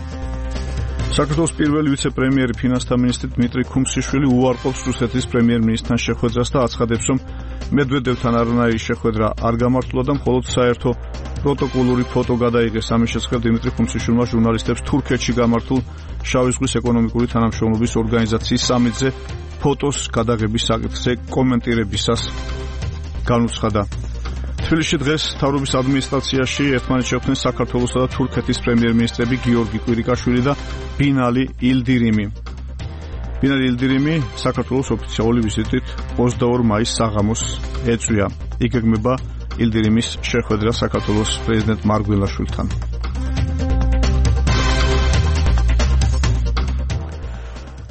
საქართველოს პირველი ვიცე-პრემიერი ფინანსთა მინისტრი დმიტრი ქუმსიშვილი უარყოფს რუსეთის პრემიერ-მინისტრთან შეხვედრას და აცხადებს, რომ მედვედევთან არანაირი შეხვედრა არ გამართულა და მხოლოდ საერთო პროტოკოლური ფოტო გადაიღეს. ამის შესახებ დიმიტრი ქუმსიშვილმა ჟურნალისტებს თურქეთში გამართულ შავი ზღვის ეკონომიკური თანამშრომლობის ორგანიზაციის სამიტზე ფოტოს გადაღების საკითხზე კომენტირებისას განუცხადა. თბილისში დღეს მთავრობის ადმინისტრაციაში ერთმანეთს შეხვდნენ საქართველოსა და თურქეთის პრემიერ-მინისტრები გიორგი კვირიკაშვილი და ბინალი ილდირიმი. ბინალი ილდირიმი საქართველოს ოფიციალური ვიზიტით 22 მაისს საღამოს ეწვია. იგეგმება ილდირიმის შეხვედრა საქართველოს პრეზიდენტ მარგველაშვილთან.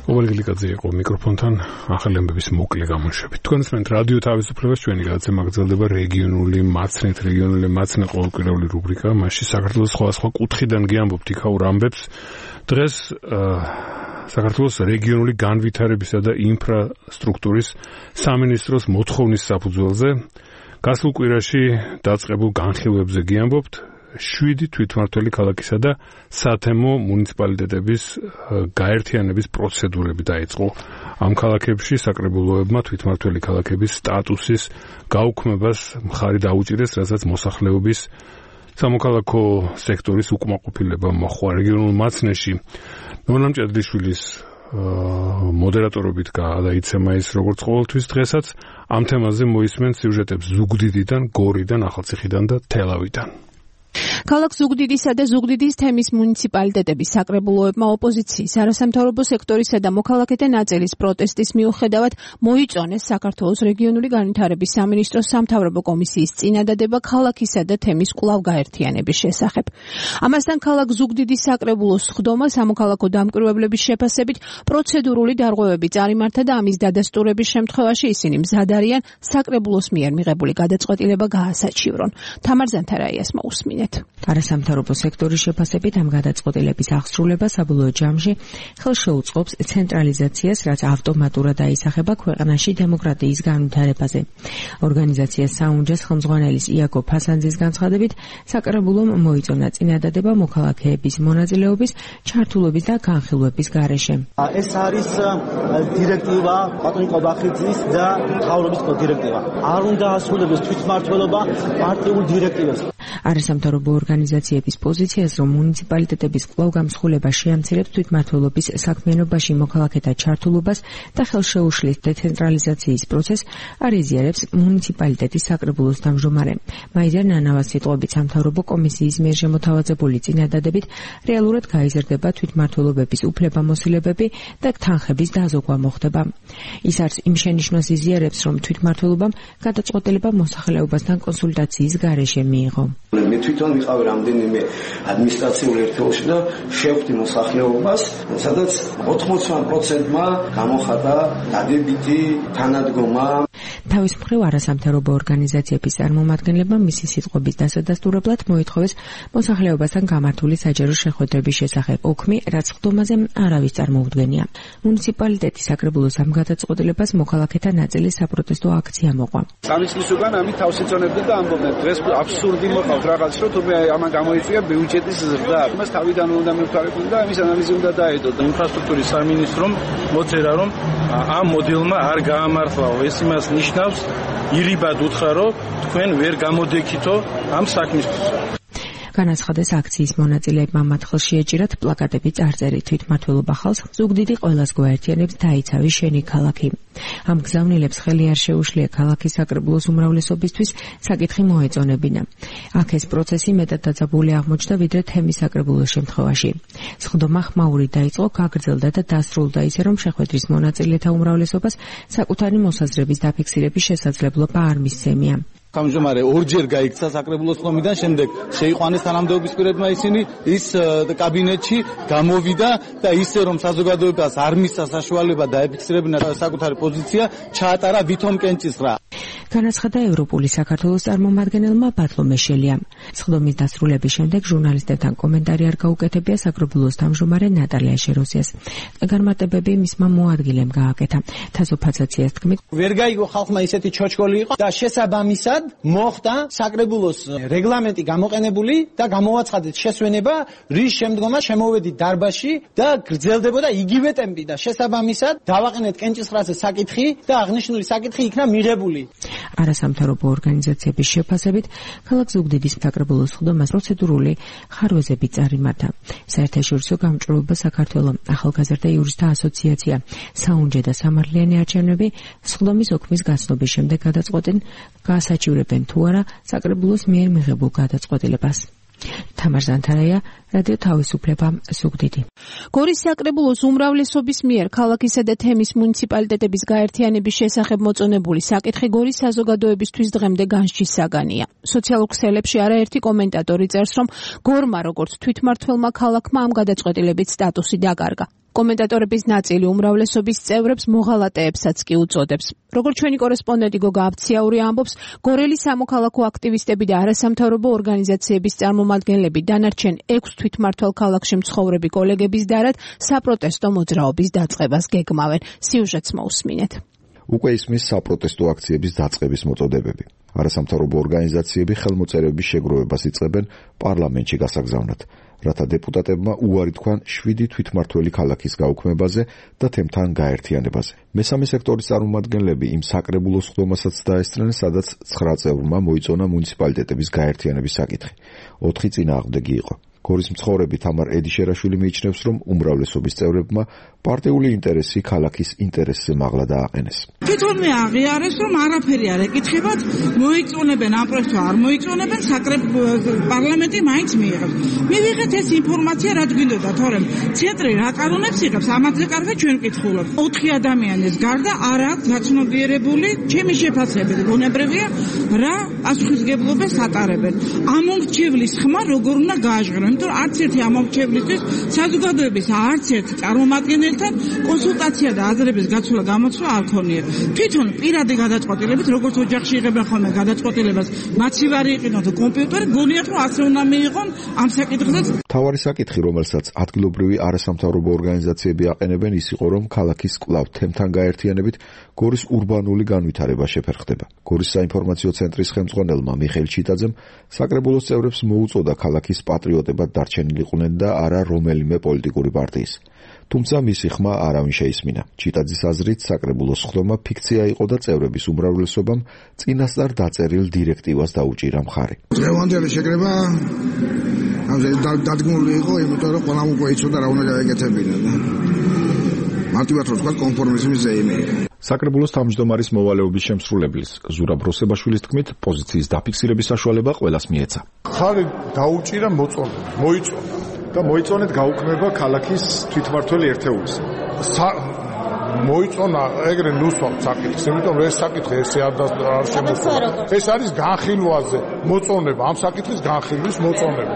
კობალე გლიკაძე იყო მიკროფონთან ახალი ამბების მოკლე გამოშვებით. თქვენ ისმენთ რადიო თავისუფლებას, ჩვენი გადაცემა გრძელდება რეგიონული მაცნე ყოველკვირეული რუბრიკა. მასში საქართველოს სხვადასხვა კუთხიდან გიამბობთ იქაურ ამბებს. დღეს საქართველოს რეგიონული განვითარებისა და ინფრასტრუქტურის სამინისტროს მოთხოვნის საფუძველზე გასულ კვირაში დაწყებულ განხილვებზე გიამბობთ. 7 თვითმმართველი ქალაქისა და სათემო მუნიციპალიტეტების გაერთიანების პროცედურები დაიწყო. ამ ქალაქებში საკრებულოებმა თვითმმართველი ქალაქების სტატუსის გაუქმებას მხარი დაუჭირეს, რასაც მოსახლეობის სამოქალაქო სექტორის უკმაყოფილება მოჰყვა. რეგიონულ მაცნეში ნონა მჭედლიშვილის მოდერატორობით გადაიცემა ის როგორც ყოველთვის დღესაც ამ თემაზე მოისმენთ სიუჟეტებს ზუგდიდიდან, გორიდან, ახალციხიდან და თელავიდან. ქალაქ ზუგდიდისა და ზუგდიდის თემის მუნიციპალიტეტების საკრებულოებმა ოპოზიციის, არასამთავრობო სექტორისა და მოქალაქეთა ნაწილის პროტესტის მიუხედავად მოიწონეს საქართველოს რეგიონული განვითარების სამინისტროს სამთავრობო კომისიის წინადადება ქალაქისა და თემის კვლავ გაერთიანების შესახებ. ამასთან ქალაქ ზუგდიდის საკრებულოს სხდომა სამოქალაქო დამკვირვებლების შეფასებით პროცედურული დარღვევები წარიმართა და ამის დადასტურების შემთხვევაში ისინი მზად არიან საკრებულოს მიერ მიღებული გადაწყვეტილება გაასაჩივრონ. თამარ ზანთარაიას მოусმინეთ. არასამთავრობო სექტორის შეფასებით ამ გადაწყვეტილების აღსრულება საბოლოო ჯამში ხელს შეუწყობს ცენტრალიზაციას, რაც ავტომატურად აისახება ქვეყანაში დემოკრატიის განვითარებაზე. ორგანიზაციას საუნჯას ხელმძღვანელის იაკობ ფასანძის განცხადებით, საკრებულომ მოიწონა წინადადება მოქალაქეების მონაწილეობის, ჩართულობის და განხილვების გარეშე. ეს არის დირექტივა ბატონი ყობახიძის და მთავრობის დირექტივა. არ უნდა ასრულებდეს თვითმმართველობა პარტიულ დირექტივებს. არასამთავრობო ორგანიზაციების პოზიციას, რომ მუნიციპალიტეტების კვლავ გამსხვილება შეამცირებს თვითმმართველობის საქმიანობაში მოქალაქეთა ჩართულობას და ხელშეუშლის დეცენტრალიზაციის პროცესს, არ იზიარებს მუნიციპალიტეტის საკრებულოს თავმჯდომარე. მაიზერ ნანავას სიტყვებით სამთავრობო კომისიის მიერ შემოთავაზებული წინადადებით რეალურად გაიზრდება თვითმმართველობების უფლებამოსილებები და თანხების დაზოგვა მოხდება. ის არც იმ შენიშვნას იზიარებს, რომ თვითმმართველობამ გადაწყვეტილება მოსახლეობასთან კონსულტაციის გარეშე მიიღო. მე თვითონ ვიყავი რამდენიმე ადმინისტრაციულ ერთეულში და შევხვდი მოსახლეობას, სადაც 80%-მა გამოხატა დადებითი თანადგომა. თავის მხრივ არასამთავრობო ორგანიზაციების წარმომადგენლებმა მისი სიტყვების დასადასტურებლად მოითხოვეს მოსახლეობასთან გამართული საჯარო შეხვედრების შესახებ ოქმი, რაც ხდომაზე არავის წარმოუდგენია. მუნიციპალიტეტის საკრებულოს ამ გადაწყვეტილებას მოქალაქეთა ნაწილი საპროტესტო აქცია მოყვა. სამისლის უკან ამით თავს იწონებდნენ და ამბობდნენ, დღეს აბსურდი მოყავს რაღაც, რომ თუმე ამან გამოიწვია ბიუჯეტის ზრდა. მას თავიდან უნდა მივთვალებოდნენ და ამის ანალიზი უნდა დაედოთ. ინფრასტრუქტურის სამინისტრომ მოწერა, რომ ამ მოდელმა არ გაამართლაო. ეს იმას ნიშნავს, ირიბად უთხრა, რომ თქვენ ვერ გამოდექითო ამ საქმისთვის. განაცხადეს აქციის მონაწილეებმა მათ ხელში ეჭირათ პლაკატები წარწერით თვითმმართველობა ხალხს ზუგდიდი ყველას გვაერთიანებს დაიცავი შენი ქალაქი. ამ გზავნილებს ხელი არ შეუშლია ქალაქის საკრებულოს უმრავლესობისთვის საკითხი მოეწონებინა. აქ ეს პროცესი მეტად დაძაბული აღმოჩნდა ვიდრე თემის საკრებულოს შემთხვევაში. სხდომა ხმაური დაიწყო, გაგრძელდა და დასრულდა ისე, რომ შეხვედრის მონაწილეთა უმრავლესობას საკუთარი მოსაზრების დაფიქსირების შესაძლებლობა არ მისცემია. გამჟომარე ორჯერ გაიქცა საკრებულოს ხომიდან, შემდეგ შეიყვანეს თანამდებობის პირებმა ისინი, ის კაბინეტში გამოვიდა და ისე რომ საზოგადოებას არ მისცა საშუალება დაეფიქსირებინა საკუთარი პოზიცია, ჩაატარა ვითომ კენჭისყრა. განაცხადა ევროპული საქართველოს წარმომადგენელმა ბატლო მეშელიამ. სხდომის დასრულების შემდეგ ჟურნალისტებთან კომენტარი არ გაუკეთებია საკრებულოს თავმჯდომარე ნატალია შეროსიას. განმარტებები მისმა მოადგილემ გააკეთა. თასოფაცაციას თქმით, ვერ გაიგო ხალხმა ისეთი ჩოჩკოლი იყო და შესაბამისად მოხდა საკრებულოს რეგლამენტი გამოყენებული და გამოაცხადეთ შესვენება, რის შემდგომაც შემოვედით დარბაზში და გრძელდებოდა იგივე ტემპი და შესაბამისად დავაყენეთ კენჭისყრაზე საკითხი და აღნიშნული საკითხი იქნა მიღებული. არასამთავრობო ორგანიზაციების შეფასებით, ქალაქ ზუგდიდის საკრებულოს სხდომას პროცედურული ხარვეზები წარიმართა. საერთაშორისო გამჭვირვალობა საქართველოს ახალგაზრდა იურისტთა ასოციაცია, საუნჯე და სამართლიანი არჩევნები სხდომის ოქმის გაცნობის შემდეგ გადაწყვეტენ გაასაჩივრებენ თუ არა საკრებულოს მიერ მიღებულ გადაწყვეტილებას. თამარ ზანთარაია, რადიო თავისუფლება, ზუგდიდი. გორის საკრებულოს უმრავლესობის მიერ ქალაქისა და თემის მუნიციპალიტეტების გაერთიანების შესახებ მოწონებული საკითხი გორის საზოგადოებისთვის დღემდე განსჯის საგანია. სოციალურ ქსელებში არაერთი კომენტატორი წერს, რომ გორმა როგორც თვითმმართველმა ქალაქმა ამ გადაწყვეტილებით სტატუსი დაკარგა. კომენტატორების ნაწილი უმრავლესობის წევრებს მოღალატეებსაც კი უწოდებს. როგორც ჩვენი კორესპონდენტი გოგა აბციაური ამბობს, გორელი სამოქალაქო აქტივისტები და არასამთავრობო ორგანიზაციების წარმომადგენლები დანარჩენ 6 თვითმმართველ ქალაქში მცხოვრები კოლეგების დარად საპროტესტო მოძრაობის დაწყებას გეგმავენ. სიუჟეტს მოусმინეთ. უკვე ისმის საპროტესტო აქციების დაწყების მოწოდებები. არასამთავრობო ორგანიზაციები ხელმოწერების შეგროვებას იწყებენ პარლამენტში გასაგზავნად, რათა დეპუტატებმა უარი თქვან 7 თვითმმართველი ქალაქის გაუქმებაზე და თემთან გაერთიანებაზე. მესამე სექტორის წარმომადგენლები იმ საკრებულოს სხდომასაც დაესწრნენ, სადაც 9 წევრმა მოიწონა მუნიციპალიტეტების გაერთიანების საკითხი. 4 წინააღმდეგი იყო. გორის მცხოვრები თამარ ედიშერაშვილი მიიჩნევს, რომ უმრავლესობის წევრებმა პარტიული ინტერესი ქალაქის ინტერესზე მაღლა დააყენეს. თვითონ მე აღიარეს, რომ არაფერი არ ეკითხებათ, მოიწონებენ ამ პროექტს არ მოიწონებენ, პარლამენტი მაინც მიიღებს. მივიღეთ ეს ინფორმაცია, რაც გვინდოდა, თორემ ცენტრი რა კანონებს იღებს, ამაზე კარგად ჩვენ ვკითხულობთ. 4 ადამიანის გარდა არ აქვს გაცნობიერებული ჩემი შეფასებით, ბუნებრივია რა პასუხისმგებლობას ატარებენ. ამომრჩევლის ხმა როგორ უნდა გააჟღერონ, იმიტომ არც ერთი ამომრჩევლისთვის საზოგადოების არც ერთი წარმომადგენელთან კონსულტაცია და აზრების გაცვლა გამოცვლა არ ქონია. თვითონ პირადი გადაწყვეტილებით, როგორც ოჯახში იღებენ ხოლმე გადაწყვეტილებას, მაცივარი იყინოთ კომპიუტერი, გონიათ რომ ასე უნდა მიიღონ ამ საკითხზეც. თავარი საკითხი, რომელსაც ადგილობრივი არასამთავრობო ორგანიზაციები აყენებენ, ის იყო, რომ ქალაქის კვლავ თემთან გაერთიანებით გორის ურბანული განვითარება შეფერხდება. გორის საინფორმაციო ცენტრის ხელმძღვანელმა მიხეილ ჩიტაძემ საკრებულოს წევრებს მოუწოდა ქალაქის პატრიოტებად დარჩენილიყვნენ და არა რომელიმე პოლიტიკური პარტიის. თუმცა მისი ხმა არავინ შეისმინა. ჩიტაძის აზრით, საკრებულოს სხდომა ფიქცია იყო და წევრების უმრავლესობამ წინასწარ დაწერილ დირექტივას დაუჭირა მხარი. დღევანდელი შეკრება დადგმული იყო, იმიტომ რომ ყველამ უკვე იცოდა რა უნდა გაეკეთებინა და მარტივად რო თქვა კონფორმიზმის ზეიმი. საკრებულოს თავმჯდომარის მოვალეობის შემსრულებლის ზურაბ როსებაშვილის თქმით, პოზიციის დაფიქსირების საშუალება ყველას მიეცა. ხარი დაუჭირა მოიწონა და მოიწონეთ გაუქმება ქალაქის თვითმმართველი ერთეულის. მოიწონა ეგრე ნუსვამთ საკითხს, იმიტომ რომ ეს საკითხი ესე არ შემოსულა. ეს არის განხილვაზე მოწონება, ამ საკითხის განხილვის მოწონება.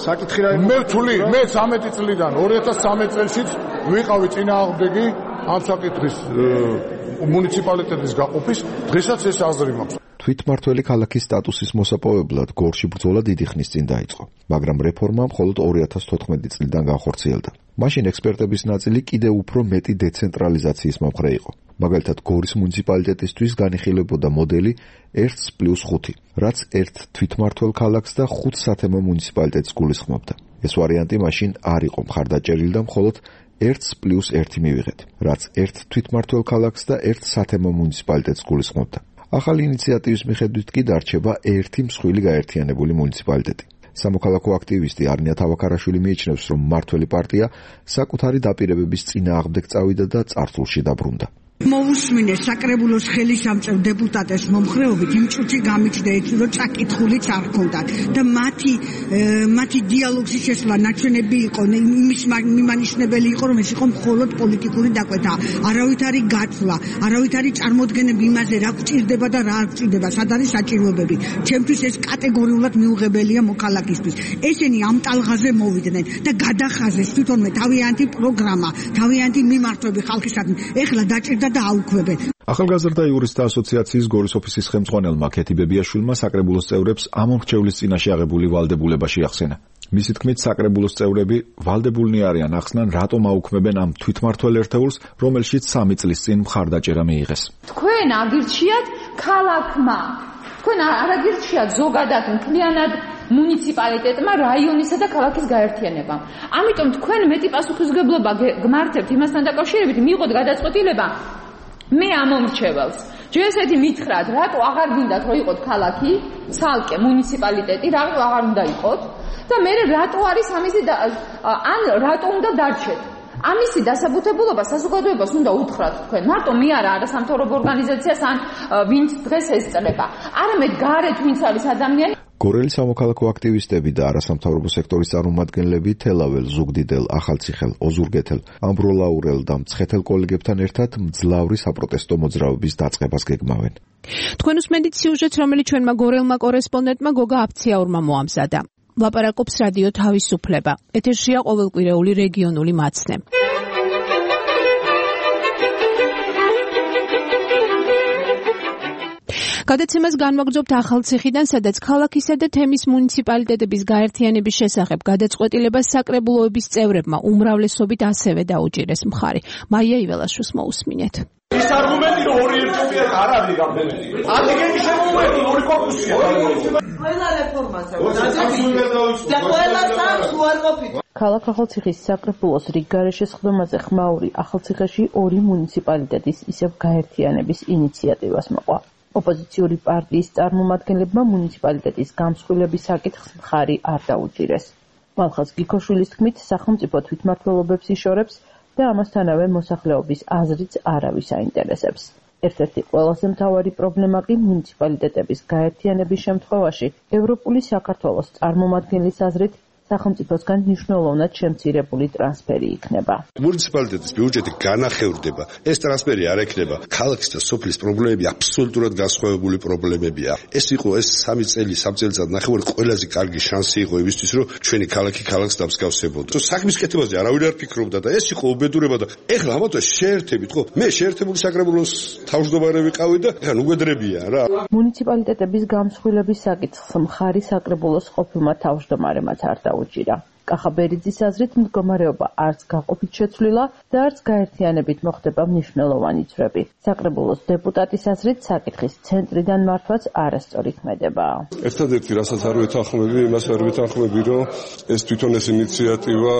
საკითხი რა მე ვთვლი, მე 13 წლიდან 2013 წელშიც ვიყავი წინააღმდეგი ამ საკითხის მუნიციპალიტეტის გაყოფის, დღესაც ეს აზრი მაქვს. თვითმმართველი ქალაქის სტატუსის მოსაპოვებლად გორში ბრძოლა დიდი ხნის წინ დაიწყო, მაგრამ რეფორმა მხოლოდ 2014 წლიდან განხორციელდა. მაშინ ექსპერტების ნაწილი კიდევ უფრო მეტი დეცენტრალიზაციის მომხრე იყო. მაგალითად, გორის მუნიციპალიტეტისთვის განიხილებოდა მოდელი 1+5, რაც ერთ თვითმმართველ ქალაქს და 5 სათემო მუნიციპალიტეტს გულისხმობდა. ეს ვარიანტი მაშინ არ იყო მხარდაჭერილი და მხოლოდ 1+1 მივიღეთ, რაც ერთ თვითმმართველ ქალაქს და ერთ სათემო მუნიციპალიტეტს გულისხმობდა. ახალი ინიციატივის მიხედვით კი დარჩება ერთი მსხვილი გაერთიანებული მუნიციპალიტეტი. სამოქალაქო აქტივისტი არნია თავაქარაშვილი მიიჩნევს, რომ მმართველი პარტია საკუთარი დაპირებების წინააღმდეგ წავიდა და წარსულში დაბრუნდა. მოусმინეს საკრებულოს ხელისამწყებ დეპუტატებს მომხრეობით იმ წუთი გამიჩნდა ეს, რომ წაკითხულიც არ ჰქონდათ და მათი დიალოგის შესვლა ნაჩვენები იყო, იმის მიმანიშნებელი იყო, რომ ეს იყო მხოლოდ პოლიტიკური დაკვეთა, არავით არის გაცვლა, არავით არის წარმოდგენები იმაზე, რა გვჭირდება და რა არ გვჭირდება, სად არის საჭიროებები. ჩემთვის ეს კატეგორიულად მიუღებელია მოქალაქისთვის. ესენი ამ ტალღაზე მოვიდნენ და გადახაზეს თვითონვე თავიანთი პროგრამა, თავიანთი მიმართვები ხალხისადმი. ეხლა დაჭირდა და აუქმებენ. ახალგაზრდა იურისტთა ასოციაციის გორის ოფისის ხელმძღვანელმა ქეთი ბებიაშვილმა საკრებულოს წევრებს ამ მომრჩევლის წინაშე აღებული ვალდებულება შეახსენა. მისი თქმით, საკრებულოს წევრები ვალდებულნი არიან ახსნან, რატომ აუქმებენ ამ თვითმმართველ ერთეულს, რომელშიც 3 წლის წინ მხარდაჭერა მიიღეს. თქვენ აგირჩიათ ქალაქმა, თქვენ არ აგირჩიათ ზოგადად მთლიანად მუნიციპალიტეტმა, რაიონისა და ქალაქის გაერთიანებამ. ამიტომ თქვენ მეტი პასუხისმგებლობა გმართებთ იმასთან დაკავშირებით, მიიღოთ გადაწყვეტილება მე ამომრჩეველს. ჯერ მითხრათ, რატო აღარ გინდათ რომ იყოთ ქალაქი, ცალკე მუნიციპალიტეტი, რატო აღარ უნდა იყოთ და მე რატო არის ამისი ან რატო უნდა დარჩეთ. ამისი დასაბუთებულობა საზოგადოებას უნდა უთხრათ თქვენ. მარტო მე არა არასამთავრობო ორგანიზაციას ან ვინც დღეს ესწრება. არამედ გარეთ ვინც არის ადამიანი. გორელის სამოქალაქო აქტივისტები და არასამთავრობო სექტორის წარმომადგენლები თელაվել, ზუგდიდელ, ახალციხელ, ოზურგეთელ, ამბროლაურელ და მცხეთელ კოლეგებთან ერთად მძლავრი საპროტესტო მოძრაობის დაწყებას გეგმავენ. თქვენ უსმენთ სიუჟეტს, რომელიც ჩვენმა გორელმა კორესპონდენტმა გოგა აფციაურმა მოამზადა. ლაპარაკობს რადიო თავისუფლება. ეთერშია ყოველკვირეული რეგიონული მაცნე. გადაცემას განვაგრძობთ ახალციხიდან, სადაც ქალაქისა და თემის მუნიციპალიტეტების გაერთიანების შესახებ გადაწყვეტილებას საკრებულოების წევრებმა უმრავლესობით ასევე დაუჭირეს მხარი. მაია იველაშვილს მოусმინეთ. ის არგუმენტი რომ ორი ერთობია არ არის რამდენიმე. ადგენი შემოუერთო ორი კორპუსია. ყველა რეფორმაზე და ყველა სამს უარყოფით. ქალაქ ახალციხის საკრებულოს რიგ გარეშე სხდომაზე ხმაური ახალციხეში ორი მუნიციპალიტეტის ისევ გაერთიანების ინიციატივას მოყვა. ოპოზიციური პარტიის წარმომადგენლებმა მუნიციპალიტეტის გამსხვილების საკითხს მხარი არ დაუჭირეს. მალხაზ გიქოშვილის თქმით, სახელმწიფო თვითმმართველობებს იშორებს და ამასთანავე მოსახლეობის აზრიც არავის აინტერესებს. ერთ-ერთი ყველაზე მთავარი პრობლემა კი მუნიციპალიტეტების გაერთიანების შემთხვევაში ევროპული საქართველოს წარმომადგენლის აზრით სახელმწიფოსგან მნიშვნელოვნად შემცირებული ტრანსფერი იქნება. მუნიციპალიტეტის ბიუჯეტი განახევრდება. ეს ტრანსფერი არ ექნება. ქალაქის და სოფლის პრობლემები აბსოლუტურად განსხვავებული პრობლემებია. ეს იყო ეს 3 წელიწად ნახევარი ყველაზე კარგი შანსი იყო იმისთვის, რომ ჩვენი ქალაქი ქალაქს დამსგავსებოდა. საქმის კეთებაზე არავინ არ ფიქრობდა და ეს იყო უბედურება და ეხლა ამათო შეერთებით, ხო? მე შეერთებული საკრებულოს თავმჯდომარე ვიყავი და ეხლა უგედრებია რა. მუნიციპალიტეტების გამსხვილების საკითხს მხარი საკრებულოს ყოფილმა თავმჯდომარემაც არ უჭირა. კახაბერიძის აზრით მდგომარეობა არც გაყოფით შეცვლილა და არც გაერთიანებით მოხდება მნიშვნელოვანი ძვრები. საკრებულოს დეპუტატის აზრით საკითხის ცენტრიდან მართვაც არასწორი ქმედება. ერთადერთი რასაც არ ვეთანხმები, იმას არ ვეთანხმები, რომ ეს თვითონ ეს ინიციატივა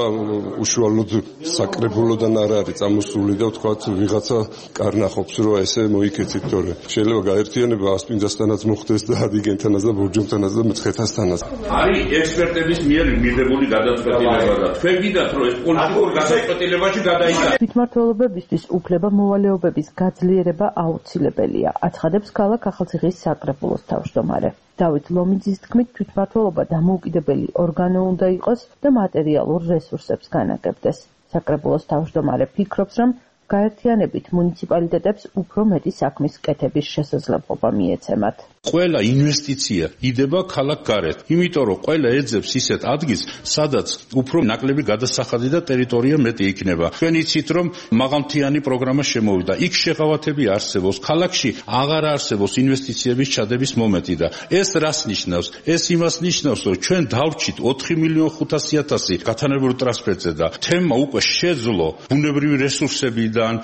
უშუალოდ საკრებულოდან არ არის წამოსული და ვთქვათ ვიღაცა კარნახობს, რომ ესე მოიქეცით, თორე შეიძლება გაერთიანება ასპინძასთანაც მოხდეს და ადიგენთანაც და ბურჯომთანაც და მცხეთასთანაც. არის ექსპერტების მიერ მიღებული გადაწყვეტილება და თქვენ გიდათ რომ ეს პოლიტიკურ გადაწყვეტილებაში გადაიჭრა. თვითმმართველობებისთვის უფლება მოვალეობების გაძლიერება აუცილებელია, აცხადებს ქალაქ ახალციხის საკრებულოს თავმჯდომარე. დავით ლომიძის თქმით, თვითმმართველობა დამოუკიდებელი ორგანო უნდა იყოს და მატერიალურ რესურსებს განაგებდეს. საკრებულოს თავმჯდომარე ფიქრობს, რომ გაერთიანებით მუნიციპალიტეტებს უფრო მეტი საქმის კეთების შესაძლებლობა მიეცემათ. ყველა ინვესტიცია იდება ქალაქ გარეთ, იმიტომ რომ ყველა ეძებს ისეთ ადგილს, სადაც უფრო ნაკლები გადასახადი და ტერიტორია მეტი იქნება. თქვენ იცით, რომ მაღალმთიანი პროგრამა შემოვიდა. იქ შეღავათები არსებობს. ქალაქში აღარ არსებობს ინვესტიციების ჩადების მომენტი და ეს რას ნიშნავს? ეს იმას ნიშნავს, რომ ჩვენ დავრჩით 4.500.000 გათანებულ ტრანსფერტზე და თემა უკვე შეძლო ბუნებრივი რესურსებიდან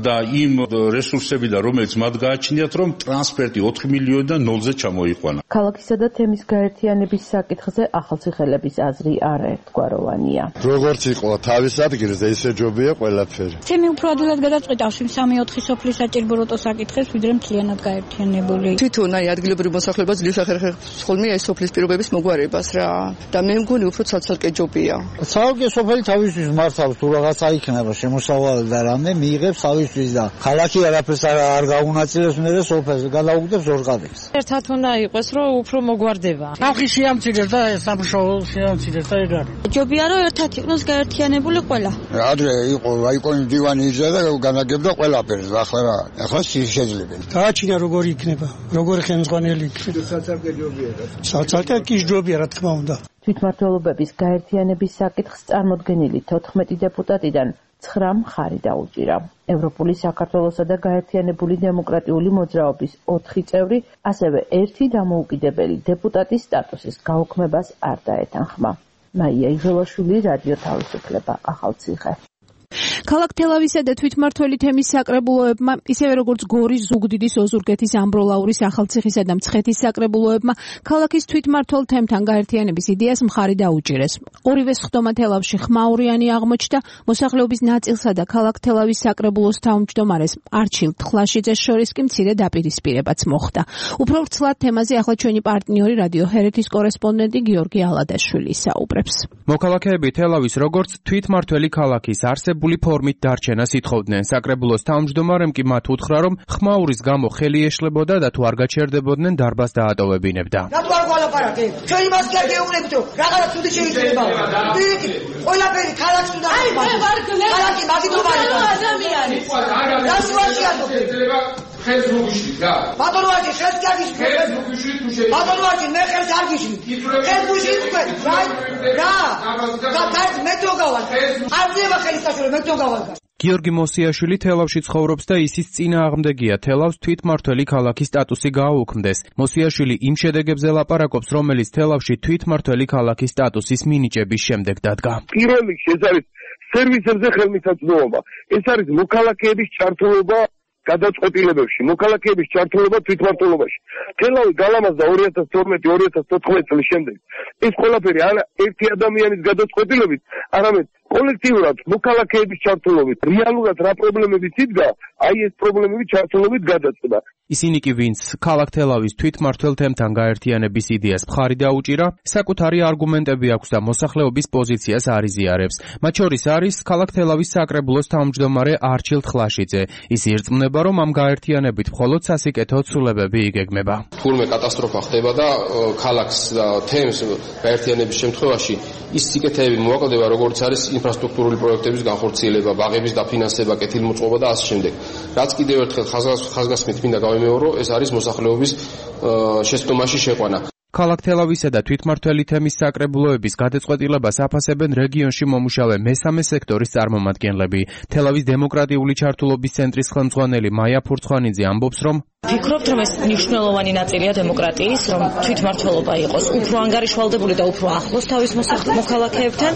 და იმ რესურსებიდან, რომელიც მათ გააჩნიათ, რომ ტრანსფერტი 4 მილიონიდან ნოლზე ჩამოიყვანა. ქალაქისა და თემის გაერთიანების საკითხზე ახალციხელების აზრი არაერთგვაროვანია. როგორც იყო თავის ადგილზე, ისე ჯობია ყველაფერი. თემი უფრო ადვილად გადაწყვეტავს იმ 3-4 სოფლის საჭიროებო საკითხებს, ვიდრე მთლიანად გაერთიანებული. თვითონ აი ადგილობრივ მოსახლეობას ძლივს ახერხებს ხოლმე ეს სოფლის პირობების მოგვარებას რა და მე მგონი უფრო ცალ-ცალკე ჯობია. ცალკე სოფელი თავისთვის მართავს თუ რაღაცა იქნება შემოსავალი და რამე მიიღებს თავისთვის და ქალაქი არაფერს არ გაუნაწილებს მე და სოფელს გადაუგდებს ორღადებს. ერთად უნდა იყოს რომ უფრო მოგვარდება. ხალხი შეამცირებს და სამშობლო შეამცირებს და ეგ არის. ჯობია რომ ერთად იყოს გაერთიანებული ყველა. ადრე იყო რაიკონის დივანი იზა და განაგებდა ყველაფერს ახლა რა ახლა შეიძლება. გააჩინა როგორი იქნება, როგორი ხელმძღვანელი იქნება. საცალკე ჯობია. საცალკე კი ჯობია რა თქმა უნდა. თვითმმართველობების გაერთიანების საკითხს წარმოდგენილი 14 დეპუტატიდან 9 მხარი დაუჭირა. ევროპული საქართველოსა და გაერთიანებული დემოკრატიული მოძრაობის 4 წევრი, ასევე 1 დამოუკიდებელი დეპუტატის სტატუსის გაუქმებას არ დაეთანხმა. მაია იღელაშვილი, რადიო თავისუფლება, ახალციხე. ქალაქ თელავისა და თვითმმართველი თემის საკრებულოებმა, ისევე როგორც გორის, ზუგდიდის, ოზურგეთის, ამბროლაურის, ახალციხისა და მცხეთის საკრებულოებმა, ქალაქის თვითმმართველ თემთან გაერთიანების იდეას მხარი დაუჭირეს. ორივე სხდომა თელავში ხმაურიანი აღმოჩნდა, მოსახლეობის ნაწილსა და ქალაქ თელავის საკრებულოს თავმჯდომარეს არჩილ თხლაშიძეს შორის კი მცირე დაპირისპირებაც მოხდა. უფრო ვრცლად თემაზე ახლა ჩვენი პარტნიორი რადიო ჰერეთის კორესპონდენტი გიორგი ალადაშვილი საუბრებს. მოქალაქეები თელავის როგორც თვითმმართველი ქალაქის არსებული ფორმით დარჩენას ითხოვდნენ. საკრებულოს თავმჯდომარემ კი მათ უთხრა, რომ ხმაურის გამო ხელი ეშლებოდა და თუ არ გაჩერდებოდნენ დარბაზს დაატოვებინებდა. რატო არ გვალაპარაკე? ჩვენ იმას კი არ გეუბნებით, რომ რაღაცა ცუდი შეიძლება. დიდი ყველაფერი ქალაქს უნდა. აი, მე ვარ გლე. ქალაქი მაგიტომარია. ადამიანი. რასვაშია თქო? ხელს მოგიშლით რა. ბატონო ვაჟი, ხელს კი აგიშლით. ხელს მოგიშლით თუ შეიძლება. ბატონო ვაჟი, მე ხელს არ გიშლით. ხელს მოგიშლით თქვენ. რა? და მე თუ გავალ. არ ძება ხელის საშუალება, მე თუ გავალ. გიორგი მოსიაშვილი თელავში ცხოვრობს და ისის წინააღმდეგია თელავს თვითმმართველი ქალაქის სტატუსი გააუქმდეს. მოსიაშვილი იმ შედეგებზე ლაპარაკობს, რომელიც თელავში თვითმმართველი ქალაქის სტატუსის მინიჭების შემდეგ დადგა. პირველ რიგში ეს არის სერვისებზე ხელმისაწვდომობა. ეს არის მოქალაქეების ჩართულობა გადაწყვეტილებებში, მოქალაქეების ჩართულობა თვითმმართველობაში. თელავი გალამაზდა 2012-2014 წლის შემდეგ. ეს ყველაფერი არა ერთი ადამიანის გადაწყვეტილებით, არამედ კოლექტიურად მოქალაქეების ჩართულობით. რეალურად რა პრობლემებიც იდგა, აი ეს პრობლემები ჩართულობით გადაწყდა. ისინი კი ვინც ქალაქ თელავის თვითმმართველ თემთან გაერთიანების იდეას მხარი დაუჭირა, საკუთარი არგუმენტები აქვს და მოსახლეობის პოზიციას არ იზიარებს. მათ შორის არის ქალაქ თელავის საკრებულოს თავმჯდომარე არჩილ თხლაშიძე. ის ირწმუნება, რომ ამ გაერთიანებით მხოლოდ სასიკეთო ცვლილებები იგეგმება. თურმე კატასტროფა ხდება და ქალაქს და თემს გაერთიანების შემთხვევაში ის სიკეთეები მოაკლდება, როგორც არის ინფრასტრუქტურული პროექტების განხორციელება, ბაღების დაფინანსება, კეთილმოწყობა და ასე შემდეგ. რაც კიდევ ერთხელ ხაზგასმით მინდა გავიმეორო, ეს არის მოსახლეობის შეცდომაში შეყვანა. ქალაქ თელავისა და თვითმმართველი თემის საკრებულოების გადაწყვეტილებას აფასებენ რეგიონში მომუშავე მესამე სექტორის წარმომადგენლები. თელავის დემოკრატიული ჩართულობის ცენტრის ხელმძღვანელი მაია ფურცხვანიძე ამბობს, რომ ვფიქრობთ, რომ ეს მნიშვნელოვანი ნაწილია დემოკრატიის, რომ თვითმმართველობა იყოს უფრო ანგარიშვალდებული და უფრო ახლოს თავის მოქალაქეებთან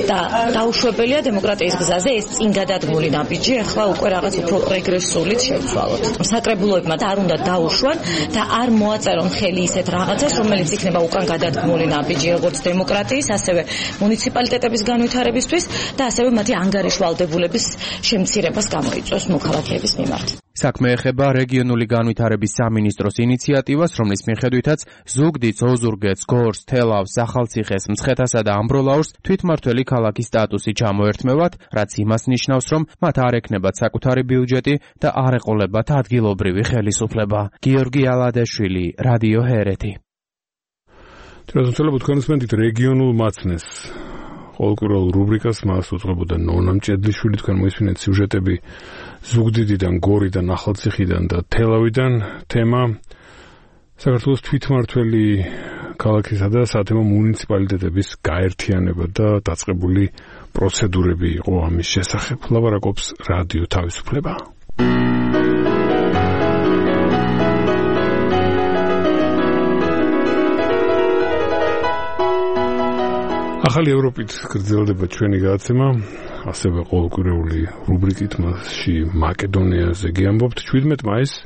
და დაუშვებელია დემოკრატიის გზაზე ეს წინ გადადგმული ნაბიჯი, ახლა უკვე რაღაც უფრო რეგრესულით შევცვალოთ. საკრებულოებმა არ უნდა დაუშვან და არ მოაწერონ ხელი ისეთ რაღაცას, რომელიც იქნება უკან გადადგმული ნაბიჯი, როგორც დემოკრატიის, ასევე მუნიციპალიტეტების განვითარებისთვის და ასევე მათი ანგარიშვალდებულების შემცირებას გამოიწვევს მოქალაქეების მიმართ. საქმე ეხება რეგიონული განვითარების სამინისტროს ინიციატივას, რომლის მიხედვითაც ზუგდიდს, ოზურგეთს, გორს, თელავს, ახალციხეს, მცხეთასა და ამბროლაურს თვითმმართველი ქალაქის სტატუსი ჩამოერთმევათ, რაც იმას ნიშნავს, რომ მათ არ ექნებათ საკუთარი ბიუჯეტი და არ ეყოლებათ ადგილობრივი ხელისუფლება. გიორგი ალადაშვილი, რადიო ჰერეთი. თვითმმართველობა თქვენს მენდით რეგიონულ მაცნეს ყოველკვირეულ რუბრიკას მას უძღვებოდა ნონა მჭედლიშვილი. თქვენ მოისმინეთ სიუჟეტები ზუგდიდიდან, გორიდან, ახალციხიდან და თელავიდან. თემა საქართველოს თვითმმართველი ქალაქისა და საათემო მუნიციპალიტეტების გაერთიანება და დაწყებული პროცედურები იყო ამის შესახებ. ლაპარაკობს რადიო თავისუფლება. ახალი ევროპით გრძელდება ჩვენი გადაცემა, ასევე ყოველკვირეული რუბრიკით, მასში მაკედონიაზე გიამბობთ. 17 მაისს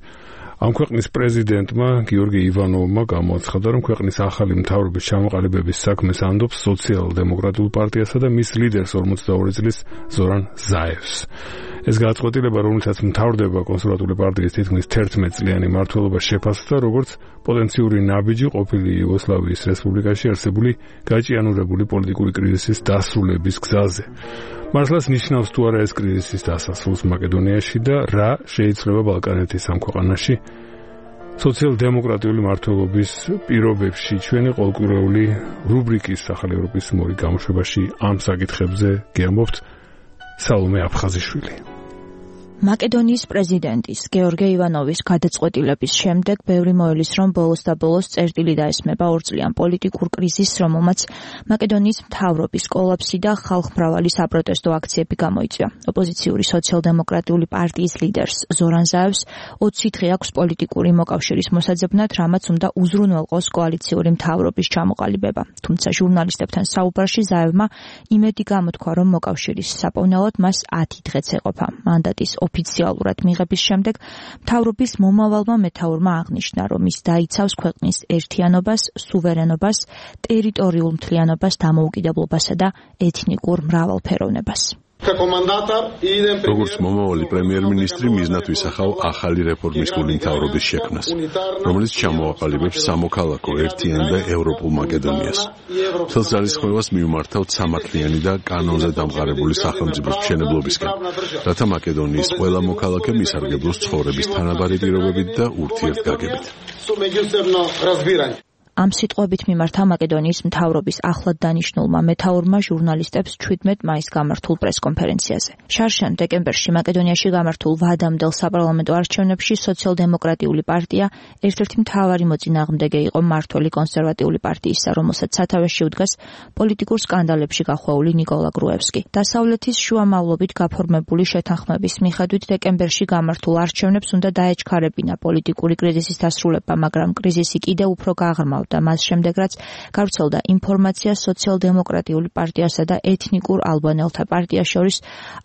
ამ ქვეყნის პრეზიდენტმა გიორგი ივანოვმა გამოაცხადა, რომ ქვეყნის ახალი მთავრობის ჩამოყალიბების საქმეს ანდობს სოციალ-დემოკრატიულ პარტიასა და მის ლიდერს 42 წლის ზორან ზაევს. ეს გადაწყვეტილება, რომელსაც მთავრდება კონსერვატული პარტიის თითქმის 11 წლიანი მმართველობა შეფასდა, როგორც პოტენციური ნაბიჯი ყოფილი იუგოსლავიის რესპუბლიკაში არსებული გაჭიანურებული პოლიტიკური კრიზისის დასრულების გზაზე. მართლაც ნიშნავს თუ არა ეს კრიზისის დასასრულს მაკედონიაში და რა შეიძლება ბალკანეთის ამ ქვეყანაში სოციალ-დემოკრატიული მმართველობის პირობებში. ჩვენი ყოველკვირეული რუბრიკის ახალი ევროპის მორი გამოშვებაში ამ საკითხებზე გიამბობთ სალომე აფხაზიშვილი. მაკედონიის პრეზიდენტის გეორგი ივანოვის გადაწყვეტილების შემდეგ ბევრი მოელის, რომ ბოლოს და ბოლოს წერტილი დაესმება ორწლიან პოლიტიკურ კრიზისს, რომელმაც მაკედონიის მთავრობის კოლაფსი და ხალხმრავალი საპროტესტო აქციები გამოიწვია. ოპოზიციური სოციალ-დემოკრატიული პარტიის ლიდერს ზორან ზაევს 20 დღე აქვს პოლიტიკური მოკავშირის მოსაძებნად, რამაც უნდა უზრუნველყოს კოალიციური მთავრობის ჩამოყალიბება. თუმცა ჟურნალისტებთან საუბარში ზაევმა იმედი გამოთქვა, რომ მოკავშირის საპოვნელად მას 10 დღეც ეყოფა. მანდატის ოფიციალურად მიღების შემდეგ მთავრობის მომავალმა მეთაურმა აღნიშნა, რომ ის დაიცავს ქვეყნის ერთიანობას, სუვერენობას, ტერიტორიულ მთლიანობას, დამოუკიდებლობასა და ეთნიკურ მრავალფეროვნებას. როგორც მომავალი პრემიერ-მინისტრი მიზნად ვისახავ ახალი რეფორმისტული მთავრობის შექმნას, რომელიც ჩამოაყალიბებს სამოქალაქო ერთიან და ევროპულ მაკედონიას. მთელს ძალისხმევას მივმართავთ სამართლიანი და კანონზე დამყარებული სახელმწიფოს მშენებლობისკენ, რათა მაკედონიის ყველა მოქალაქე მისარგებლოს ცხოვრების თანაბარი პირობებით და ურთიერთგაგებით. ამ სიტყვებით მიმართა მაკედონიის მთავრობის ახლად დანიშნულმა მეთაურმა ჟურნალისტებს 17 მაისს გამართულ პრესკონფერენციაზე. შარშან დეკემბერში მაკედონიაში გამართულ ვადამდელ საპარლამენტო არჩევნებში სოციალ-დემოკრატიული პარტია ერთ-ერთი მთავარი მოწინააღმდეგე იყო მმართველი კონსერვატიული პარტიისა, რომელსაც სათავეში უდგას პოლიტიკურ სკანდალებში გახვეული ნიკოლა გრუევსკი. დასავლეთის შუამავლობით გაფორმებული შეთანხმების მიხედვით დეკემბერში გამართულ არჩევნებს უნდა დაეჩქარებინა პოლიტიკური კრიზისის დასრულება, მაგრამ კრიზისი კიდევ უფრო გაღრმავდა და მას შემდეგ რაც გავრცელდა ინფორმაცია სოციალ-დემოკრატიული პარტიასა და ეთნიკურ ალბანელთა პარტიას შორის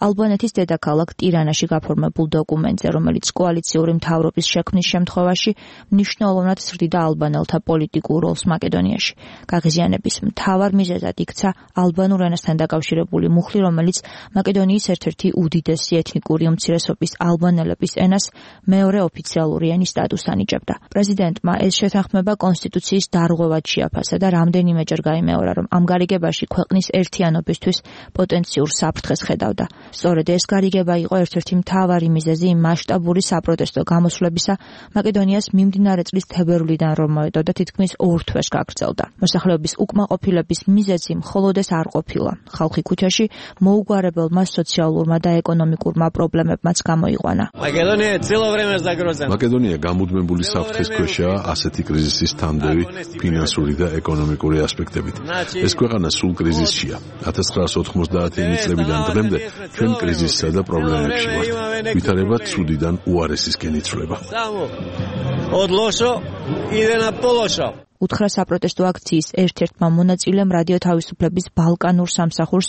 ალბანეთის დედაქალაქ ტირანაში გაფორმებულ დოკუმენტზე, რომელიც კოალიციური მთავრობის შექმნის შემთხვევაში მნიშვნელოვნად ზრდიდა ალბანელთა პოლიტიკურ როლს მაკედონიაში. გაღიზიანების მთავარ მიზეზად იქცა ალბანურ ენასთან დაკავშირებული მუხლი, რომელიც მაკედონიის ერთ-ერთი უდიდესი ეთნიკური უმცირესობის ალბანელების ენას მეორე ოფიციალური ენის სტატუსს ანიჭებდა. პრეზიდენტმა ეს შეთანხმება კონსტიტუციის დარღვევად შეაფასა და რამდენიმეჯერ გაიმეორა, რომ ამ გარიგებაში ქვეყნის ერთიანობისთვის პოტენციურ საფრთხეს ხედავდა. სწორედ ეს გარიგება იყო ერთ-ერთი მთავარი მიზეზი იმ მასშტაბური საპროტესტო გამოსვლებისა მაკედონიას მიმდინარე წლის თებერვლიდან, რომ მოედო და თითქმის 2 თვეს გაგრძელდა. მოსახლეობის უკმაყოფილების მიზეზი მხოლოდ ეს არ ყოფილა. ხალხი ქუჩაში მოუგვარებელმა სოციალურმა და ეკონომიკურმა პრობლემებმაც გამოიყვანა. მაკედონია გამუდმებული საფრთხის ქვეშაა ასეთი კრიზისის თანდევი ფინანსური და ეკონომიკური ასპექტებით. ეს ქვეყანა სულ კრიზისშია. 1990-იანი წლებიდან დღემდე ჩვენ კრიზისსა და პრობლემებში ვართ. ვითარება ცუდიდან უარესისკენ იცვლება. უთხრა საპროტესტო აქციის ერთ-ერთმა მონაწილემ რადიო თავისუფლების ბალკანურ სამსახურს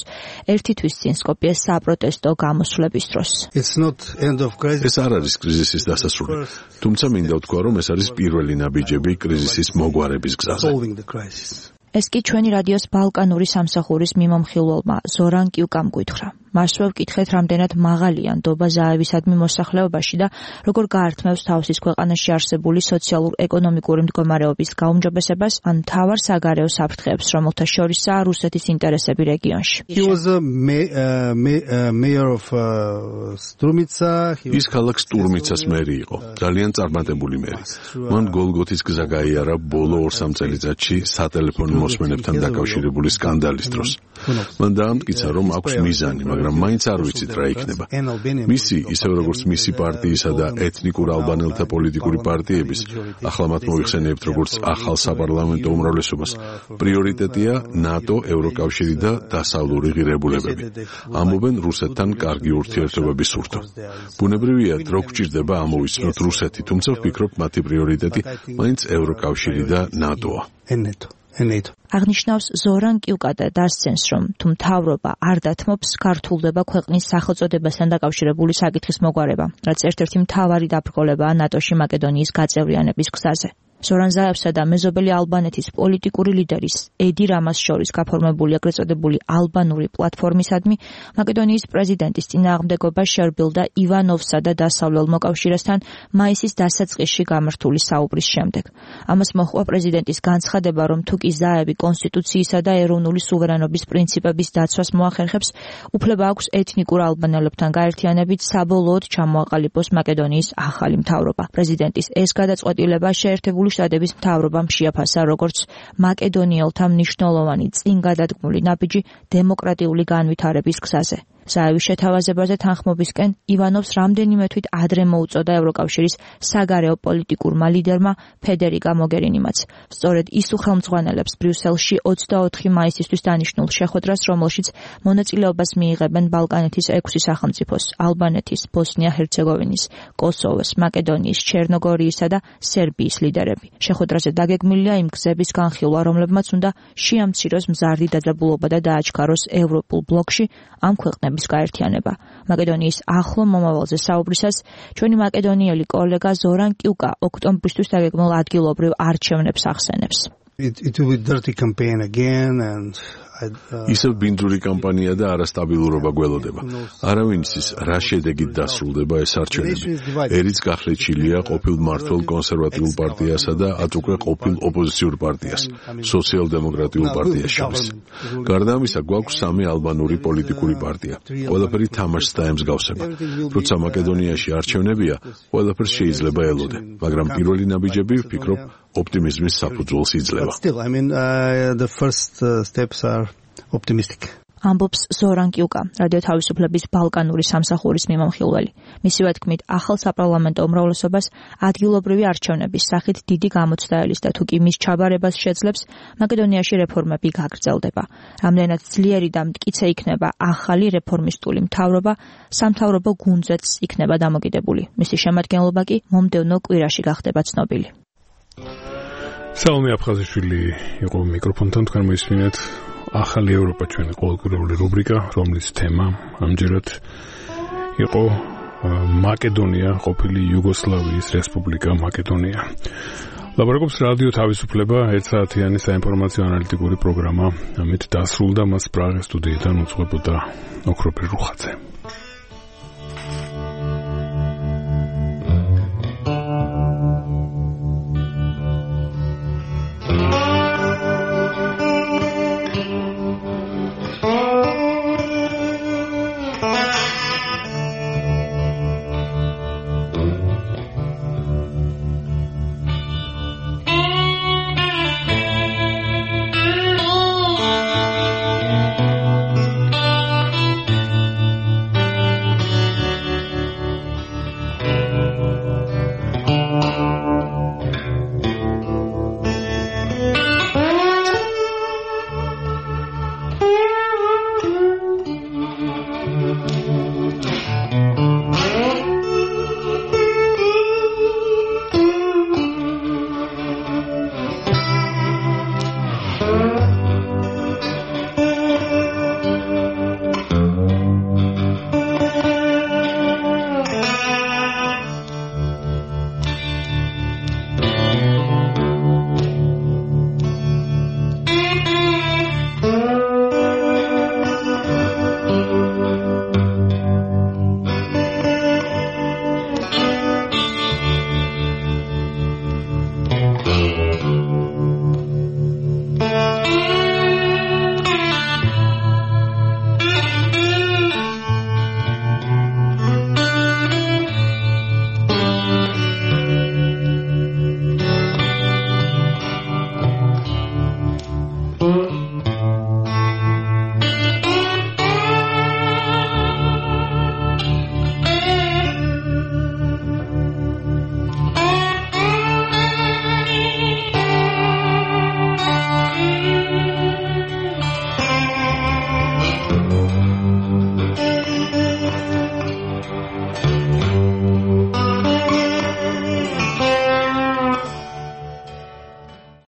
ერთი თვის წინ სკოპიეს საპროტესტო გამოსვლების დროს. ეს არ არის კრიზისის დასასრული, თუმცა მინდა ვთქვა, რომ ეს არის პირველი ნაბიჯები კრიზისის მოგვარების გზაზე. ეს კი ჩვენი რადიოს ბალკანური სამსახურის მიმომხილველმა ზორან კიუკამ გვითხრა. მასვე ვკითხეთ, რამდენად მაღალია ნდობა ზაევისადმი მოსახლეობაში და როგორ გაართმევს თავის ქვეყანაში არსებული სოციალურ-ეკონომიკური მდგომარეობის გაუმჯობესებას ან მთავარ საგარეო საფრთხეებს, რომელთა შორისაა რუსეთის ინტერესები რეგიონში. ის ქალაქ სტურმიცას მერი იყო, ძალიან წარმატებული მერი. მან გოლგოთის გზა გაიარა ბოლო 2-3 წელიწადში სატელეფონო მოსმენებთან დაკავშირებული სკანდალის დროს. მან დაამტკიცა, რომ აქვს მიზანი, მაგრამ მაინც არ ვიცით რა იქნება. მისი, ისევ როგორც მისი პარტიისა და ეთნიკურ ალბანელთა პოლიტიკური პარტიების, ახლა მათ მოიხსენიებთ როგორც ახალ საპარლამენტო უმრავლესობას, პრიორიტეტია ნატო, ევროკავშირი და დასავლური ღირებულებები. ამბობენ რუსეთთან კარგი ურთიერთობების სურთო. ბუნებრივია, დრო გვჭირდება ამოვიცნოთ რუსეთი, თუმცა ვფიქრობ, მათი პრიორიტეტი მაინც ევროკავშირი და ნატოა. აღნიშნავს ზორან კიუკატა დასცენს, რომ თუ მთავრობა არ დათმობს, გართულდება ქვეყნის სახელწოდებასთან დაკავშირებული საკითხის მოგვარება, რაც ერთ-ერთი მთავარი დაბრკოლებაა ნატოში მაკედონიის გაწევრიანების გზაზე. ზორან ზაევსა და მეზობელი ალბანეთის პოლიტიკური ლიდერის ედი რამას შორის გაფორმებული ეგრეთ წოდებული ალბანური პლატფორმისადმი მაკედონიის პრეზიდენტის წინააღმდეგობა შერბილდა ივანოვსა და დასავლელ მოკავშირესთან მაისის დასაწყისში გამართული საუბრის შემდეგ. ამას მოჰყვა პრეზიდენტის განცხადება, რომ თუ კი ზაევი კონსტიტუციისა და ეროვნული სუვერენობის პრინციპების დაცვას მოახერხებს, უფლება აქვს ეთნიკურ ალბანელებთან გაერთიანებით საბოლოოდ ჩამოაყალიბოს მაკედონიის ახალი მთავრობა. პრეზიდენტის ეს გადაწყვეტილება შეერთებული შტატების მთავრობამ შეაფასა როგორც მაკედონიელთა მნიშვნელოვანი წინგადადგმული ნაბიჯი დემოკრატიული განვითარების გზაზე. ზაევის შეთავაზებაზე თანხმობისკენ ივანოვს რამდენიმე თვით ადრე მოუწოდა ევროკავშირის საგარეო პოლიტიკურმა ლიდერმა ფედერიკა მოგერინიმაც. სწორედ ის უხელმძღვანელებს ბრიუსელში 24 მაისისთვის დანიშნულ შეხვედრას, რომელშიც მონაწილეობას მიიღებენ ბალკანეთის 6 სახელმწიფოს, ალბანეთის, ბოსნია-ჰერცეგოვინის, კოსოვოს, მაკედონიის, ჩერნოგორიისა და სერბიის ლიდერები. შეხვედრაზე დაგეგმილია იმ გზების განხილვა, რომლებმაც უნდა შეამციროს მზარდი დაძაბულობა და დააჩქაროს ევროპულ ბლოკში ამ ქვეყნების გაერთიანება. მაკედონიის ახლო მომავალზე საუბრისას ჩვენი მაკედონიელი კოლეგა ზორან კიუკა ოქტომბრისთვის დაგეგმილ ადგილობრივ არჩევნებს ახსენებს. It will be dirty campaign again and ისევ ბინძური კამპანია და არასტაბილურობა გველოდება. არავინ იცის, რა შედეგით დასრულდება ეს არჩევნები. ერიც გახლეჩილია ყოფილ მმართველ კონსერვატიულ პარტიასა და ათ უკვე ყოფილ ოპოზიციურ პარტიას, სოციალ-დემოკრატიულ პარტიას შორის. გარდა ამისა, გვაქვს 3 ალბანური პოლიტიკური პარტია. ყველაფერი თამაშს დაემსგავსება. როცა მაკედონიაში არჩევნებია, ყველაფერს შეიძლება ელოდე, მაგრამ პირველი ნაბიჯები, ვფიქრობ, ოპტიმიზმის საფუძველს იძლევა. Still, I mean, the first steps are optimistic. ამბობს ზორან კიუკა, რადიო თავისუფლების ბალკანური სამსახურის მიმამხილველი. მისივე თქმით, ახალ საპარლამენტო უმრავლესობას ადგილობრივი არჩევნების სახით დიდი გამოცდა და თუ კი მის ჩაბარებას შეძლებს, მაკედონიაში რეფორმები გაგრძელდება. რამდენად ძლიერი და მტკიცე იქნება ახალი რეფორმისტული მთავრობა, სამთავრობო გუნდზეც იქნება დამოკიდებული. მისი შემადგენლობა კი მომდევნო კვირაში გახდება ცნობილი. საომი აფხაზიშვილი იყო მიკროფონთან, თქვენ მოისმინეთ ახალი ევროპა ჩვენი ყოველკვირეული რუბრიკა, რომლის თემა ამჯერად იყო მაკედონია, ყოფილი იუგოსლავიის რესპუბლიკა მაკედონია. ლაპარაკობს რადიო თავისუფლება, 1 საათიანი საინფორმაციო ანალიტიკური პროგრამა. ამით დასრულდა, მას პრაღის სტუდიიდან უძღვებოდა ოქროპირ რუხაძე.